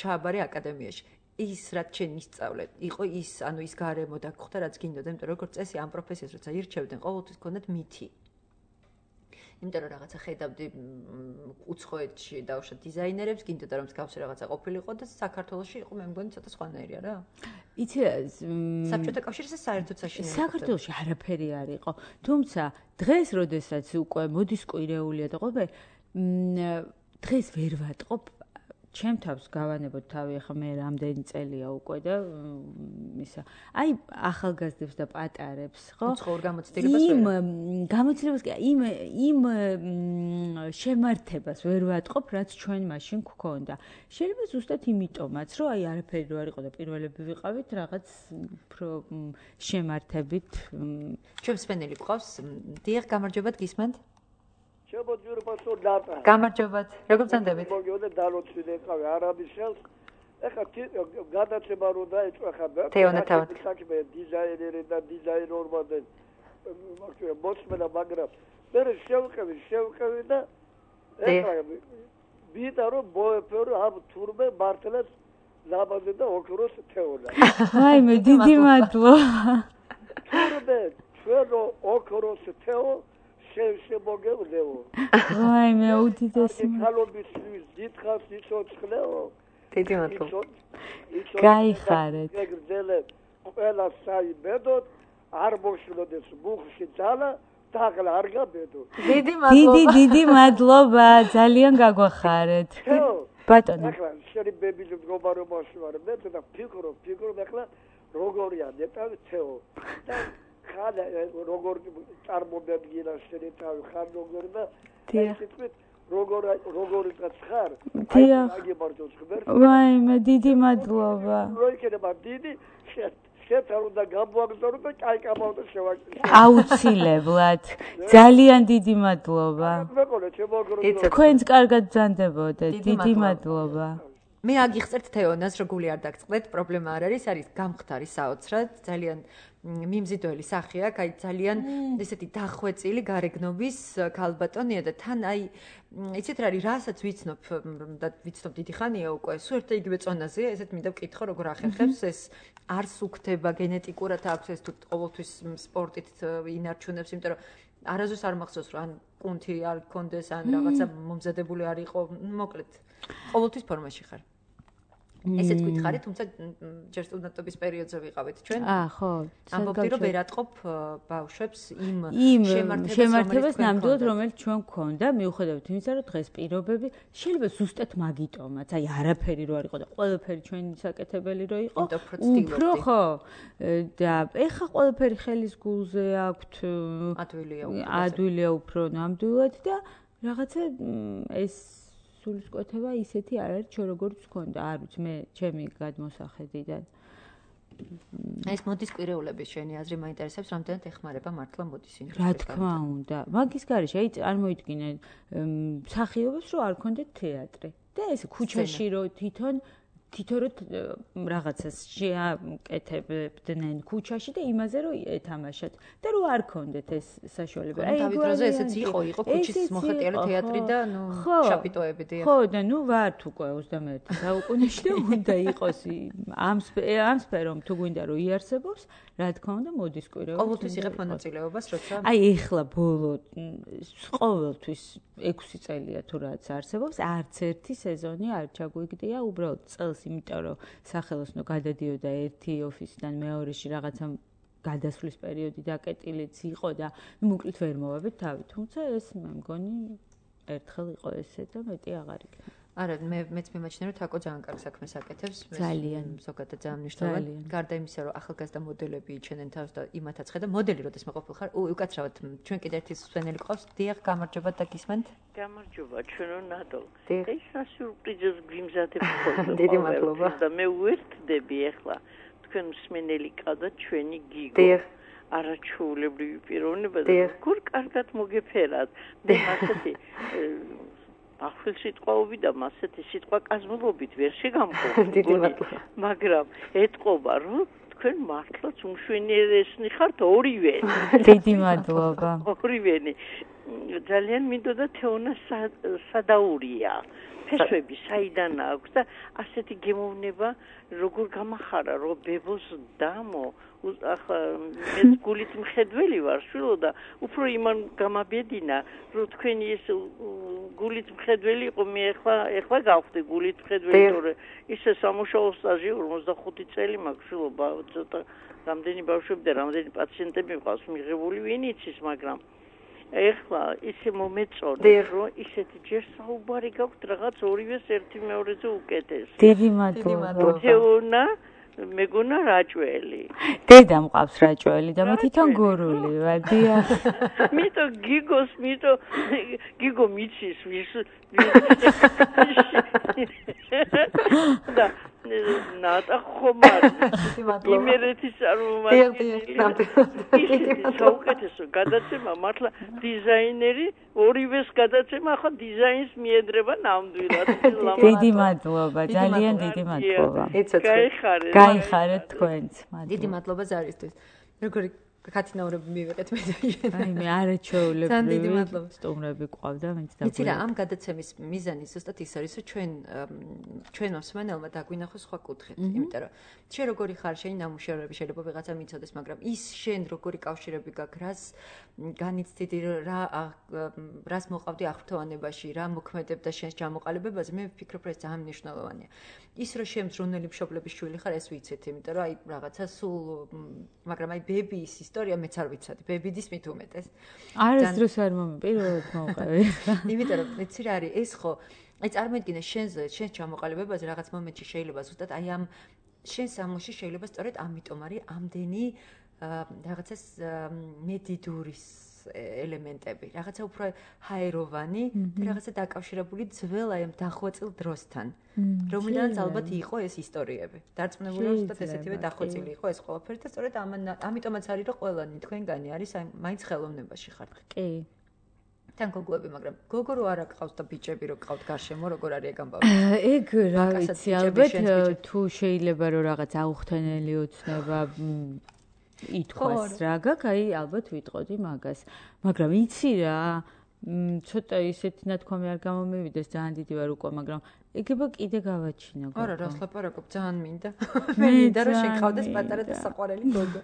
ჩააბარე აკადემიაში. ის რაც შენ ისწავლე, იყო ის, ანუ ის გარემო და გხვდა რაც გინდოდა, იმიტომ რომ როგორც წესი ამ პროფესიას როცა ირჩევდნენ, ყოველთვის გქონდათ მითი. იმიტომ რომ რაღაცა ხედავდი უცხოეთში დავუშვათ დიზაინერებს, გინდოდა რომ მსგავსი რაღაცა ყოფილიყო და საქართველოში იყო მე მგონი ცოტა სხვანაირია რა. იცი საბჭოთა კავშირზე საერთოდ საშინელი. საქართველოში არაფერი არ იყო. თუმცა დღეს, როდესაც უკვე მოდის კვირეულია და ყველაფერი, დღეს ვერ ვატყობ ჩემ თავს გავანებოთ თავი, ახლა მე რამდენი წელია უკვე და ისა. აი ახალგაზრდებს და პატარებს, ხო? უცხოურ გამოცდილებას ვერ. იმ გამოცდილებას კი, იმ იმ შემართებას ვერ ვატყობ, რაც ჩვენ მაშინ გქონდა. შეიძლება ზუსტად იმიტომაც, რომ აი არაფერი რო არ იყო და პირველები ვიყავით რაღაც უფრო შემართებით. ჩვენ მსმენელი გვყავს. დიახ, გამარჯობათ, გისმენთ? შემოძვირი პასო დატა. გამარჯობათ. როგორ გწანდებით? მოგიოდა დალოცვილი ეყავი არაბიშელს. ეხა გადაცემა რო დაიწყო ახლა თეონათავად. საქმე დიზაინერი და დიზაინერმა და მაგალითად მოსმენა მაგრამ მე შევყევი შევყევი და ეხლა ვიდა რომ ბოეფერო ამ თურმე მართლაც ლაბაზე და ოქროს თეონა. აი მე დიდი მადლობა. თურმე ჩვენ ოქროს თეო შემოგევლეო. აი მე უდიდესი ხალობის დიდხანს იცოცხლეო. დიდი მადლობა. გაიხარეთ. ეგრძელე ყველა საიმედოდ არ მოშლოდეს მუხში ძალა დაღლა არ გაბედო. დიდი მადლობა. დიდი დიდი მადლობა, ძალიან გაგვახარეთ. ბატონო. ახლა შენი ბებილი მდგომარეობ მოსვარ მე და ფიქრო ფიქრო ახლა როგორია ნეტავი თეო. და ხადა როგორ წარმომადგინა შენი თავი ხარ როგორ და ესეთქვით როგორ როგორიც ხარ აი მაგიმართოს ხბერ ვაი მე დიდი მადლობა როიქნება დიდი შეთავ და გამოგზავნო და კაი კამავდა შევაკეთე აუცილებლად ძალიან დიდი მადლობა მეკოლე შემოგრო თქვენც კარგად ბრძანდებოდეთ დიდი მადლობა მე აგიხსენებთ თეონას რომ გული არ დაგწყდეთ პრობლემა არ არის არის გამხდარი საოცრად ძალიან მიმზიდველი სახე აქვს, აი ძალიან ესეთი დახვეწილი გარეგნობის ქალბატონია და თან აი იცით რა არის, რასაც ვიცნობ და ვიცნობ დიდი ხანია უკვე, სულ ერთ იგივე წონაზეა, ესეთ მინდა ვკითხო, როგორ ახერხებს ეს არ სუქდება გენეტიკურად აქვს ეს თუ ყოველთვის სპორტით ინარჩუნებს, იმიტომ რომ არაზუსტ არ მახსოვს რომ ან კუნთი არ გქონდეს ან რაღაცა მომზადებული არ იყო, მოკლედ ყოველთვის ფორმაში ხარ. ესეც გითხარი, თუმცა ჯერ სტუდენტობის პერიოდზე ვიყავით ჩვენ. აა, ხო. ამბობდი რომ ვერ ატყობ ბავშვებს იმ შემართებას ნამდვილად რომელიც ჩვენ გქონდა, მიუხედავად იმისა, რომ დღეს პირობები შეიძლება ზუსტად მაგიტომაც, აი არაფერი რო არ იყო და ყველაფერი ჩვენი საკეთებელი რო იყო. უფრო ხო. და ეხა ყველაფერი ხელის გულზე აქვთ. ადვილია უფრო. ადვილია უფრო ნამდვილად და რაღაცა ეს სულისკვეთება ისეთი არ არის, ჩვენ როგორც გქონდა, არ ვიცი, მე ჩემი გადმოსახედიდან. ეს მოდის კვირეულების შენი აზრი მაინტერესებს, რამდენად ეხმარება მართლა მოდის ინდუსტრია. რა თქმა უნდა. მაგის გარეშე, აი წარმოიდგინე მსახიობებს რომ არ ქონდეთ თეატრი. და ეს ქუჩაში რო თვითონ თვითონ რაღაცას შეაკეთებდნენ ქუჩაში და იმაზე რომ ეთამაშათ და რო არ ქონდეთ ეს საშუალება. აი დავით როზე ესეც იყო, იყო ქუჩის მოხეტიალე თეატრი და ნუ შაპიტოები დიახ. ხო და ნუ ვართ უკვე ოცდამეერთე საუკუნეში და უნდა იყოს ამ ამ სფერომ თუ გვინდა რომ იარსებობს, რა თქმა უნდა მოდის კვირეულს. ყოველთვის იღებ მონაწილეობას, როცა აი ეხლა ბოლო ყოველთვის ექვსი წელია თუ რაც არსებობს, არც ერთი სეზონი არ ჩაგვიგდია უბრალოდ წელს იმიტომ რომ სახელოსნო გადადიოდა ერთი ოფისიდან მეორეში რაღაცა გადასვლის პერიოდი დაკეტილიც იყო და მოკლედ ვერ მოვაბეთ თავი, თუმცა ეს მე მგონი ერთხელ იყო ესე და მეტი აღარ იქნება. არა, მე მეც მიმაჩნია რომ თაკო ძალიან კარგ საქმეს აკეთებს, ძალიან ზოგადად ძალიან მნიშვნელოვანი. გარდა იმისა რომ ახალგაზრდა მოდელები იჩენენ თავს და იმათაც ხედა მოდელი როდეს მეყოფილ ხარ, უკაცრავად ჩვენ კიდე ერთი სვენელი ყავს, დიახ, გამარჯობა და გისმენთ. გამარჯობა, ჩვენო ნადო. ეს რა სიურპრიზებს გვიმზადებ ხოლმე. დიდი მადლობა. და მე უერთდები ახლა თქვენ მსმენელი ყავდათ ჩვენი გიგო. დიახ. არაჩვეულებრივი პიროვნება და გურ კარგად მოგეფერათ. და ასეთი ახალ სიტყვაობი და მასეთი სიტყვა კაზმულობით ვერ შეგამყოფ. დიდი მადლობა. მაგრამ ეთყობა რომ თქვენ მართლაც უმშვენიერესნი ხართ ორივე. დიდი მადლობა. ორივენი. ძალიან მინდოდა თეონა სადაურია. ფესვები საიდან აქვს და ასეთი გემოვნება როგორ გამახარა რომ ბებოს დამო ახლა მე გულით მხედველი ვარ შვილო და უფრო იმან გამაბედინა რომ თქვენი ეს გულით მხედველი იყო მე ახლა ახლა გავხდი გულით მხედველი თორე ისე სამუშაო სტაჟი ორმოცდახუთი წელი მაქვს შვილო ცოტა რამდენი ბავშვები და რამდენი პაციენტები მყავს მიღებული ვინ იცის მაგრამ ეხლა ისე მომეწონა რომ ისეთი ჯერ საუბარი გაქვთ რაღაც ორივეს ერთი მეორეზე უკეთეს. დიდი მადლობა. თეონა მეგონა რაჭველი. დედა მყავს რაჭველი და მე თვითონ გურული ვარ. დიახ. მითო გიგოს, მითო გიგო მიცის ვის და ნატა ხომარ იმერეთის წარმომადგენელი საუკეთესო გადაცემა მართლა დიზაინერი ორივეს გადაცემა ახლა დიზაინს მიედრება ნამდვილად დიდი მადლობა ძალიან დიდი მადლობა გაიხარეთ გაიხარეთ თქვენც დიდი მადლობა ზარისთვის როგორი კათინაურები მივიღეთ მე აი მე არაჩვეულებრივი სტუმრები ყავდა მეც და ვიცი რა ამ გადაცემის მიზანი ზუსტად ის არის რომ ჩვენ ჩვენ მოსმენელმა დაგვინახოს სხვა კუთხით იმიტომ რომ შენ როგორი ხარ შენი ნამუშევრები შეიძლება ვიღაცა მიცოდეს მაგრამ ის შენ როგორი კავშირები გაქვს რას განიცდიდი რა რას მოყავდი აღფრთოვანებაში რა მოქმედებდა შენს ჩამოყალიბებაზე მე ვფიქრობ რომ ეს ძალიან მნიშვნელოვანია ის რომ შენ მზრუნელი მშობლების შვილი ხარ ეს ვიცით იმიტომ რომ აი რაღაცა სულ მაგრამ აი ბებიის ისტორია მეც არ ვიცოდი ბებიდის მით უმეტეს არის დროს არ მომი პირველად მოვყავი იმიტომ რომ მეცი რა არის ეს ხო აი წარმოიდგინე შენზე შენს ჩამოყალიბებაზე რაღაც მომენტში შეიძლება ზუსტად აი ამ შენ სამოში შეიძლება სწორედ ამიტომ არის ამდენი რაღაცას მედიდურის ელემენტები რაღაცა უფრო ჰაეროვანი და რაღაცა დაკავშირებული ძველ აი ამ დახვეწილ დროსთან რომელთაც ალბათ იყო ეს ისტორიები დარწმუნებული ვარ ზუსტად ესეთივე დახვეწილი იყო ეს ყველაფერი და სწორედ ამიტომაც არის რომ ყველანი თქვენგანი არის აი მაინც ხელოვნებაში ხართ კი თან გოგოები მაგრამ გოგო რო არა გყავს და ბიჭები რო გყავთ გარშემო როგორ არის ეგ ამბავი ეგ რა ვიცი ალბათ თუ შეიძლება რომ რაღაც აუხთენელი ოცნება ითქვას რა გაქვს აი ალბათ ვიტყოდი მაგას მაგრამ იცი რა ცოტა ისეთი ნათქვამი არ გამომივიდეს ძალიან დიდი ვარ უკვე მაგრამ ეგება კიდე გავაჩინა გოგო არა რას ლაპარაკობ ძალიან მინდა მე მინდა რომ შეგყავდეს პატარა და საყვარელი გოგო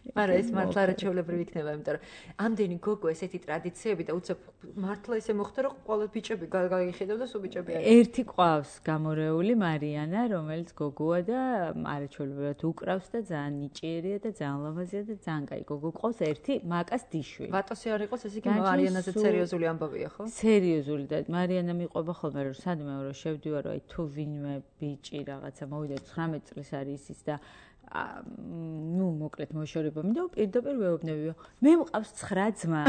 მაგრამ ეს მართლა არაჩვეულებრივი იქნება, იმიტომ რომ ამდენი გოგო ესეთი ტრადიციები და უცებ მართლა ესე მოხდა, რომ ყველა ბიჭები გაიხედავ და სულ ბიჭები არის. ერთი ყავს გამორეული მარიანა, რომელიც გოგოა და არაჩვეულებრივად უკრავს და ძალიან ნიჭიერია და ძალიან ლამაზია და ძალიან კაი გოგო ყავს ერთი მაკას დიშვილი. ვატოსი არ იყოს, ეს იგი მარიანაზე სერიოზული ამბავია, ხო? სერიოზული და მარიანა მიყვება ხოლმე რომ სადმე რომ შევდივარ რომ აი თუ ვინმე ბიჭი რაღაცა მოვიდა ცხრამეტ წლის არის ის და ну, მოკლედ მოშორება მინდა პირდაპირ ვეუბნებიო. მე მყავს ცხრა ძმა.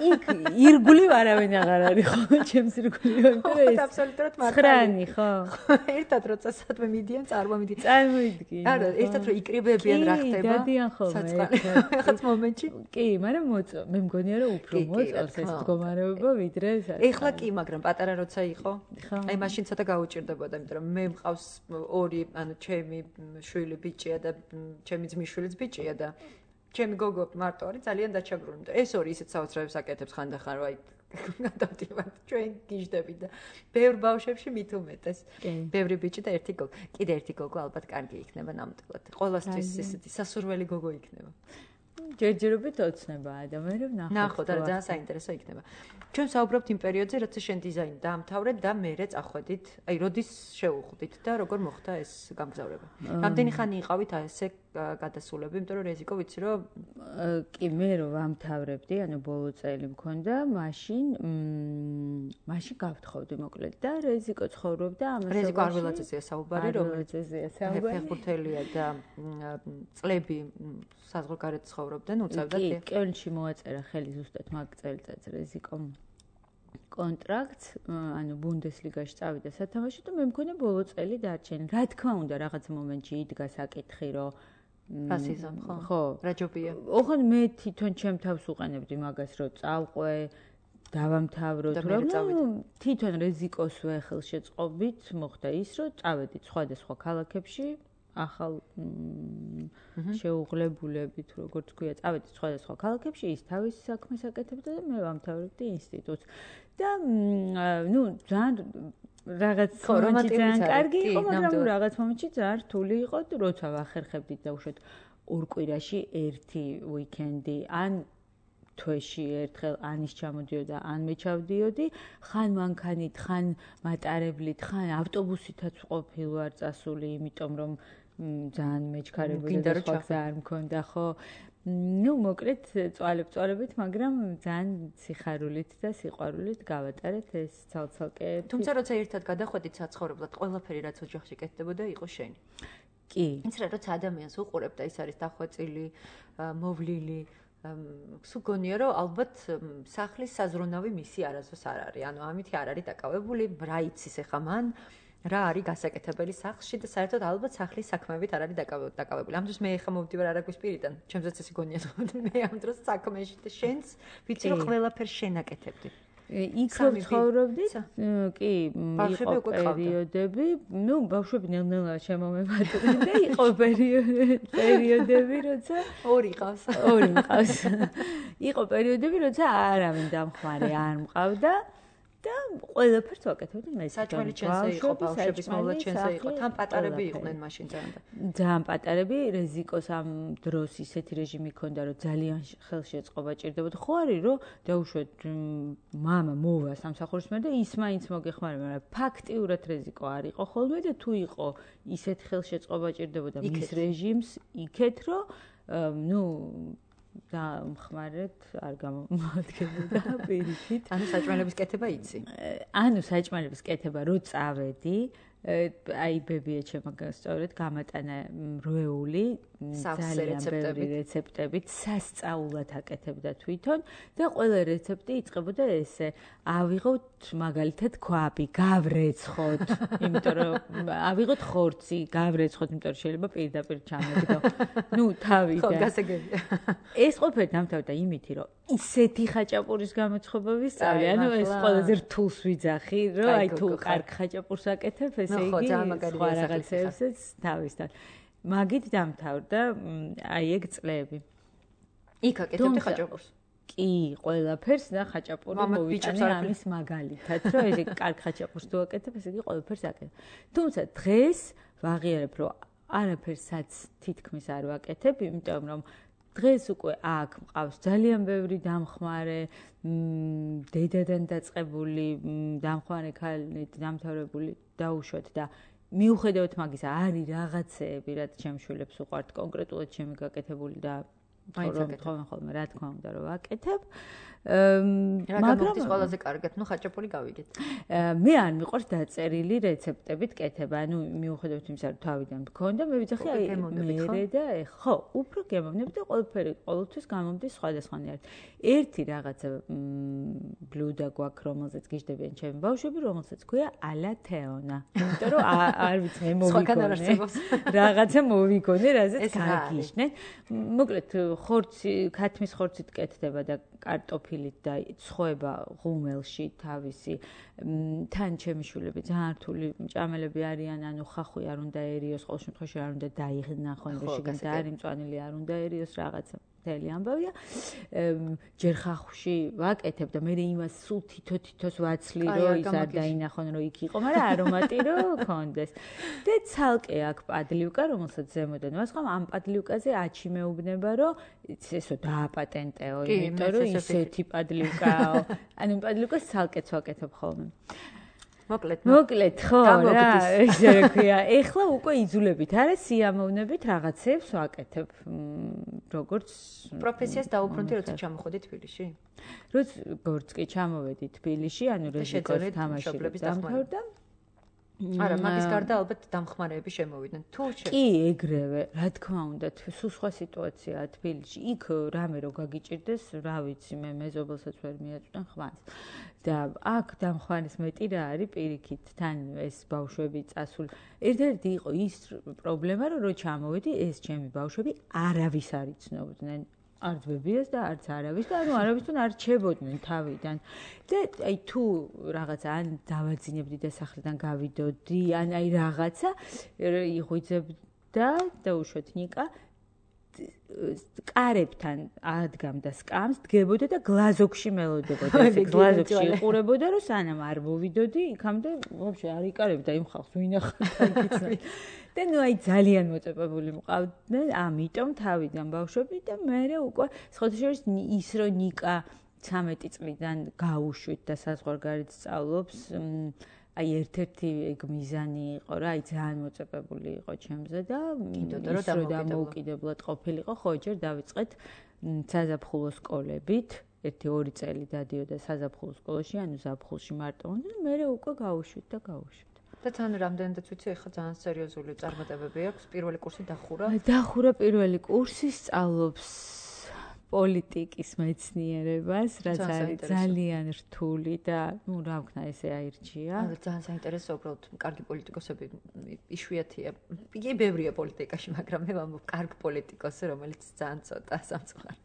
იქ ირგული არავინ აღარ არის ხო? ჩემს ირგული ვარ და ეს აბსოლუტურად მართალია. ცხრანი ხო? ერთად როცა სადმე მიდიან, წარმომიდგენ. წარმოვიდგინე. არა, ერთად რო იკრიბებიან რა ხდება? დადიან ხოლმე. ახაც მომენტში. კი, მაგრამ მოწო. მე მგონია რომ უფრო მოწონს ეს მდგომარეობა ვიდრე ეს. ეხლა კი, მაგრამ პატარა როცა იყო, აი მაშინ ცოტა გაუჭირდებოდა, იმიტომ რომ მე მყავს ორი, ანუ ჩემი შვილი ბიჭია და ჩემი ძმისშვილიც ბიჭია და ჩემი გოგო მარტო არის ძალიან დაჩაგრული. ეს ორი ისეთ საოცრებს აკეთებს ხანდახან რომ აი გადავდივართ ჩვენ გიждები და ბევრ ბავშვებში მით უმეტეს. ბევრი ბიჭი და ერთი გოგო. კიდე ერთი გოგო ალბათ კარგი იქნება ნამდვილად. ყოველთვის ესეთი სასურველი გოგო იქნება. ჯერჯერობით ოცნება ადამიანებს ნახოთ. ნახოთ, არა ძალიან საინტერესო იქნება. ჩვენ საუბრობთ იმ პერიოდზე, როცა შენ დიზაინი დაამთავრე და მერე წახვედით, აი როდის შეუხვდით და როგორ მოხდა ეს გამგზავრება? რამდენი ხანი იყავით აი ესე გადასულები, იმიტომ რომ რეზიკო ვიცი რომ კი მე რომ ვამთავრებდი, ანუ ბოლო წელი მქონდა, მაშინ მაშინ გავთხოვდი მოკლედ და რეზიკო ცხოვრობდა ამასობაში. რეზიკო არველაძეა საუბარი, რომელიც ფეხბურთელია და წლები საზღვარგარეთ ცხოვრობდნენ, უწევდა კი, კელნში მოაწერა ხელი ზუსტად მაგ წელიწადს რეზიკომ კონტრაქტს, ანუ ბუნდესლიგაში წავიდა სათამაშო და მე მქონდა ბოლო წელი დარჩენი. რა თქმა უნდა, რაღაც მომენტში იდგა საკითხი, რომ ფასიზამ ხო? ხო. რა ჯობია? ოღონდ მე თვითონ ჩემ თავს უყენებდი მაგას, რომ წავყვე, დავამთავრო, თუ რა, თვითონ რეზიკოსვე ხელშეწყობით მოხდა ის, რომ წავედით სხვადასხვა ქალაქებში, ახალ შეუღლებულებით, როგორც ქვია, წავედით სხვადასხვა ქალაქებში, ის თავის საქმეს აკეთებდა და მე ვამთავრებდი ინსტიტუტს. და ნუ ძალიან რაღაც მომენტში ძალიან კარგი იყო, მაგრამ რაღაც მომენტში ძალიან რთული იყო, როცა ვახერხებდით და უშოთ ორ კვირაში ერთი უიკენდი, ან თვეში ერთხელ ანის ჩამოდიოდა, ან მე ჩავდიოდი, ხან მანქანით, ხან მატარებლით, ხან ავტობუსითაც ყოფილ ვარ წასული, იმიტომ რომ ძალიან მეჩქარებოდა და სხვა გზა არ მქონდა, ხო? ну, მოკლედ წვალებ-წვალებით, მაგრამ ძალიან სიხარულით და სიყვარულით გავატარეთ ეს ცალ-ცალკე. თუმცა როცა ერთად გადახვედით საცხოვრებლად, ყველაფერი რაც ოჯახში კეთდებოდა, იყო შენი. კი. ის რა როცა ადამიანს უყურებ და ის არის დახვეწილი, მოვლილი, სულ გონია რომ ალბათ სახლის საზრუნავი მისი არასდროს არ არის. ანუ ამითი არ არის დაკავებული, რა იცის ახლა მან რა არის გასაკეთებელი სახლში და საერთოდ ალბათ სახლის საქმეებით არ არის დაკავებული. ამ დროს მე ახლა მოვდივარ არაგვის პირიდან, ჩემზეც ესე გონია, მე ამ დროს საქმეში და შენს ვიცი რომ ყველაფერს შენ აკეთებდი. იქ ცხოვრობდით, კი, იყო პერიოდები, ну, ბავშვები ნელ-ნელა შემომებადნენ და იყო პერიოდები, როცა ორი ყავს. ორი ყავს. იყო პერიოდები, როცა არავინ დამხმარე არ მყავდა. და ყველაფერს ვაკეთებდი მე. საჭმელი ჩენზე იყო, ბავშვების მოვლა ჩენზე იყო, თან პატარები იყვნენ მაშინ ძალიან. ძალიან პატარები, რეზიკოს ამ დროს ისეთი რეჟიმი ჰქონდა, რომ ძალიან ხელშეწყობა ჭირდებოდა. ხო არის, რომ დაუშვეთ მამა მოვა სამსახურში და ის მაინც მოგეხმარება, მაგრამ ფაქტიურად რეზიკო არ იყო ხოლმე და თუ იყო ისეთი ხელშეწყობა ჭირდებოდა მის რეჟიმს იქეთ, რომ ნუ და მხმარეთ არ გამომადგენდა პირიქით. ანუ საჭმელების კეთება იცი? ანუ საჭმელების კეთება რო წავედი, აი ბებია ჩემო სწორედ გამატანა როეული ძალიან ბევრი რეცეპტებით სასწაულად აკეთებდა თვითონ და ყველა რეცეპტი იწყებოდა ესე ავიღოთ მაგალითად ქვაბი გავრეცხოთ იმიტომ რომ ავიღოთ ხორცი გავრეცხოთ იმიტომ რომ შეიძლება პირდაპირ ჩამეგდო ნუ თავიდან ხო გასაგებია ეს ყოფილი დამთავრდა იმითი რომ ისეთი ხაჭაპურის გამოცხობა ვისწავლე ანუ ეს ყველაზე რთულს ვიძახი რომ აი თუ კარგ ხაჭაპურს აკეთებ ესე იგი სხვა რაღაცებსაც თავისთან მაგით დამთავრდა აი ეგ წლები. იქ აკეთებდი ხაჭაპურს. კი, ყველაფერს და ხაჭაპური მოვიტანე ამის მაგალითად, რომ ესე კარგ ხაჭაპურს თუ აკეთებ, ესე იგი ყველაფერს აკეთებ. თუმცა დღეს ვაღიარებ, რომ არაფერსაც თითქმის არ ვაკეთებ, იმიტომ რომ დღეს უკვე აქ მყავს ძალიან ბევრი დამხმარე, დედადან დაწყებული დამხმარე ქალით დამთავრებული დაუშვათ და მიუხედავად მაგისა არის რაღაცეები, რაც ჩემ შვილებს უყვართ კონკრეტულად ჩემი გაკეთებული და რომ ხოლმე რა თქმა უნდა რომ ვაკეთებ. მაგრამ ის ყველაზე კარგად, ნუ ხაჭაპური გავიგეთ. მე არ მიყვარს დაწერილი რეცეპტებით კეთება, ანუ მიუხედავად იმისა, რომ თავიდან მქონდა, მე ვიცახი აი მერე და ხო, უფრო გემოვნები და ყველაფერი ყოველთვის გამომდის სხვადასხვანაირად. ერთი რაღაცა ბლუდა გვაქვს, რომელზეც გიждდებიან ჩემი ბავშვები, რომელსაც ქვია ალა თეონა. იმიტომ რომ არ ვიცი მე მოვიგონე. რაღაცა მოვიგონე, რაზეც გაგიშნე. მოკლედ ხორცი, ქათმის ხორცით კეთდება და კარტოფილით და ცხოება ღუმელში თავისი თან ჩემი შვილები ძალიან რთული მჭამელები არიან, ანუ ხახვი არ უნდაერიოს, ყოველ შემთხვევაში არ უნდა დაიღნახონ, შიგნით და არის მწვანილი არ უნდაერიოს რაღაცა. მთელი ამბავია. ჯერ ხახვში ვაკეთებ და მე იმას სულ თითო-თითოს ვაცლი, რომ ის არ დაინახონ, რომ იქ იყო, მაგრამ არომატი რომ კონდეს. და ცალკე აქ პადლივკა, რომელსაც ზემოდან ვასხამ, ამ პადლივკაზე აჩი მეუბნება, რომ ესო დააპატენტეო, იმიტომ რომ ისეთი პადლივკაო. ანუ პადლივკას ცალკეც ვაკეთებ ხოლმე. მოკლედ, მოკლედ, ხო, რა, ესე რა ქვია. ეხლა უკვე იძულებით, არა, სიამოვნებით რაღაცებს ვაკეთებ. როგორც პროფესიას დაუბრუნდი, როცა ჩამოხვედი თბილისში? როგორც კი ჩამოვედი თბილისში, ანუ რეზიდენტის თამაში დამთავრდა. არა, მაგის გარდა ალბათ დამხმარეები შემოვიდნენ. თუ კი, ეგრევე, რა თქმა უნდა, სულ სხვა სიტუაციაა თბილისში. იქ რამე რო გაგიჭირდეს, რა ვიცი, მე მეზობელსაც ვერ მიაწვდენ ხვანს. და აქ დამხმარის მეტი რა არის პირიქით, თან ეს ბავშვები წასული. ერთ-ერთი იყო ის პრობლემა, რომ რო ჩამოვედი, ეს ჩემი ბავშვები არავის არ იცნობდნენ. არც ბებიას და არც არავის და ანუ არავისთან არ რჩებოდნენ თავიდან. და აი თუ რაღაცა ან დავაძინებდი და სახლიდან გავიდოდი, ან აი რაღაცა იღვიძებდა და უშოთ ნიკა კარებთან ადგამდა სკამს, დგებოდა და გლაზოქში მელოდებოდა. ესე გლაზოქში იყურებოდა, რომ სანამ არ მოვიდოდი, იქამდე ვაფშე არ იკარებდა იმ ხალხს, ვინახავდა იცი. და ნუ აი ძალიან მოწებებული მყავდნენ, ამიტომ თავიდან ბავშვები და მე უკვე სხვადასხვა ის რო ნიკა ცამეტი წლიდან გაუშვით და საზღვარგარეთ სწავლობს, აი ერთ-ერთი ეგ მიზანი იყო რა, აი ძალიან მოწებებული იყო ჩემზე და ის რო დამოუკიდებლად ყოფილიყო, ხო, ჯერ დავიწყეთ საზაფხულო სკოლებით, ერთი ორი წელი დადიოდა საზაფხულო სკოლაში, ანუ ზაფხულში მარტო უნდა და მე უკვე გაუშვით და გაუშვით. და თან რამდენადაც ვიცი, ეხლა ძალიან სერიოზული წარმატებები აქვს. პირველი კურსი დახურა. დახურა პირველი კურსი, სწავლობს პოლიტიკის მეცნიერებას, რაც არის ძალიან რთული და ნუ რა ვქნა, ესე აირჩია. ანუ ძალიან საინტერესო, უბრალოდ კარგი პოლიტიკოსები იშვიათია. იგი ბევრია პოლიტიკაში, მაგრამ მე ვამბობ კარგი პოლიტიკოსი, რომელიც ძალიან ცოტა სამწუხაროდ.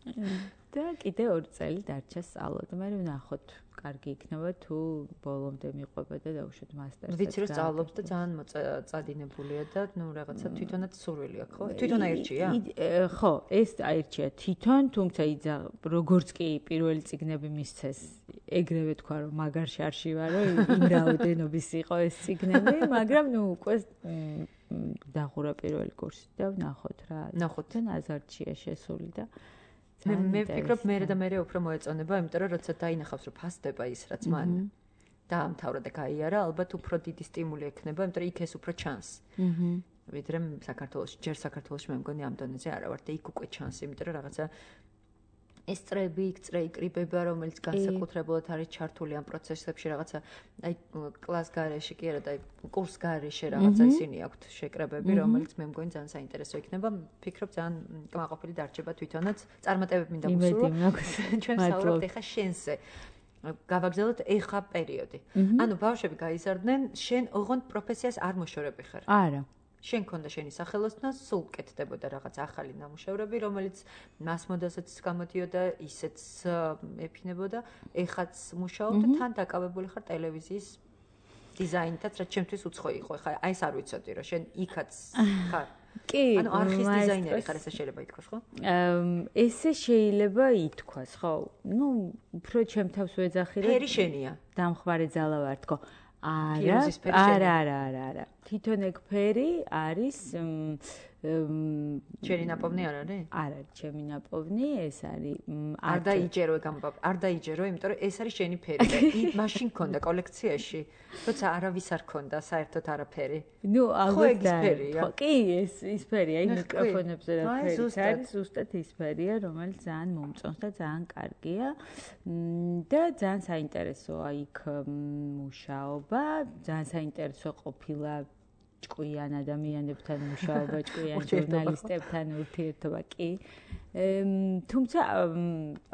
და კიდე ორი წელი დარჩა სწავლა და მე ვნახოთ. კარგი იქნება თუ ბოლომდე მიყვება და დაუშვათ მასტერს. ვიცი რომ სწავლობს და ძალიან წადინებულია და ნუ რაღაცა თვითონაც სურვილი აქვს, ხო? თვითონ აირჩია? ხო, ეს აირჩია თვითონ, თუმცა იძა როგორც კი პირველი წიგნები მისცეს, ეგრევე თქვა რომ მაგარ შარში ვარ, რომ იმ რაოდენობის იყო ეს წიგნები, მაგრამ ნუ უკვე დახურა პირველი კურსი და ვნახოთ რა. ნახოთ და აზარტშია შესული და მე მე ვფიქრობ მე და მე უფრო მოეწონება, იმიტომ რომ როცა დაინახავს რომ ფასდება ის რაც მან დაამთავრა და გაიარა, ალბათ უფრო დიდი სტიმული ექნება, იმიტომ რომ იქ ეს უფრო ჩანს. აჰა. ვიდრე საქართველოში, ჯერ საქართველოში მე მგონი ამ დონეზე არა ვარ და იქ უკვე ჩანს, იმიტომ რომ რაღაცა ეს წრეები, იქ წრე იკრიბება, რომელიც განსაკუთრებულად არის ჩართული ამ პროცესებში, რაღაცა აი კლას გარეშე კი არა და აი კურს გარეშე რაღაცა ისინი აქვთ შეკრებები, რომელიც მე მგონი ძალიან საინტერესო იქნება. ვფიქრობ ძალიან კმაყოფილი დარჩება თვითონაც. წარმატებები მინდა გუსურვო. ჩვენ საუბრობთ ეხა შენზე. გავაგზავნოთ ეხა პერიოდი. ანუ ბავშვები გაიზარდნენ, შენ ოღონდ პროფესიას არ მოშორები ხარ. არა. შენ ქონდა შენი სახელოსნო, სულ კეთდებოდა რაღაც ახალი ნამუშევრები, რომელიც მას მოდასაც გამოდიოდა, ისეც ეფინებოდა, ეხაც მუშაობ და თან დაკავებული ხარ ტელევიზიის დიზაინითაც, რაც ჩემთვის უცხო იყო. ეხა აი ეს არ ვიცოდი, რომ შენ იქაც ხარ. კი, ანუ არხის დიზაინერი ხარ, ესე შეიძლება ითქვას, ხო? ესე შეიძლება ითქვას, ხო. ნუ უფრო ჩემ თავს ვეძახი, რომ ფერი შენია. დამხმარე ძალა ვარ თქო. არა, არა, არა, არა, არა. თვითონ ეგ ფერი არის ჩემი ნაპოვნი არ არის? არ არის ჩემი ნაპოვნი, ეს არის არ დაიჯერო ეგ ამბავ. არ დაიჯერო, იმიტომ რომ ეს არის შენი ფერი და მაშინ ქონდა კოლექციაში, როცა არავის არ ქონდა საერთოდ არაფერი. ნუ ალბათ ეს ფერია. კი, ეს ის ფერია, აი მიკროფონებზე რა ფერი არის, ზუსტად ის ფერია, რომელიც ძალიან მომწონს და ძალიან კარგია. და ძალიან საინტერესოა იქ მუშაობა, ძალიან საინტერესო ყოფილა ჭკვიან ადამიანებთან მუშაობა, ჭკვიან ჟურნალისტებთან ურთიერთობა კი. თუმცა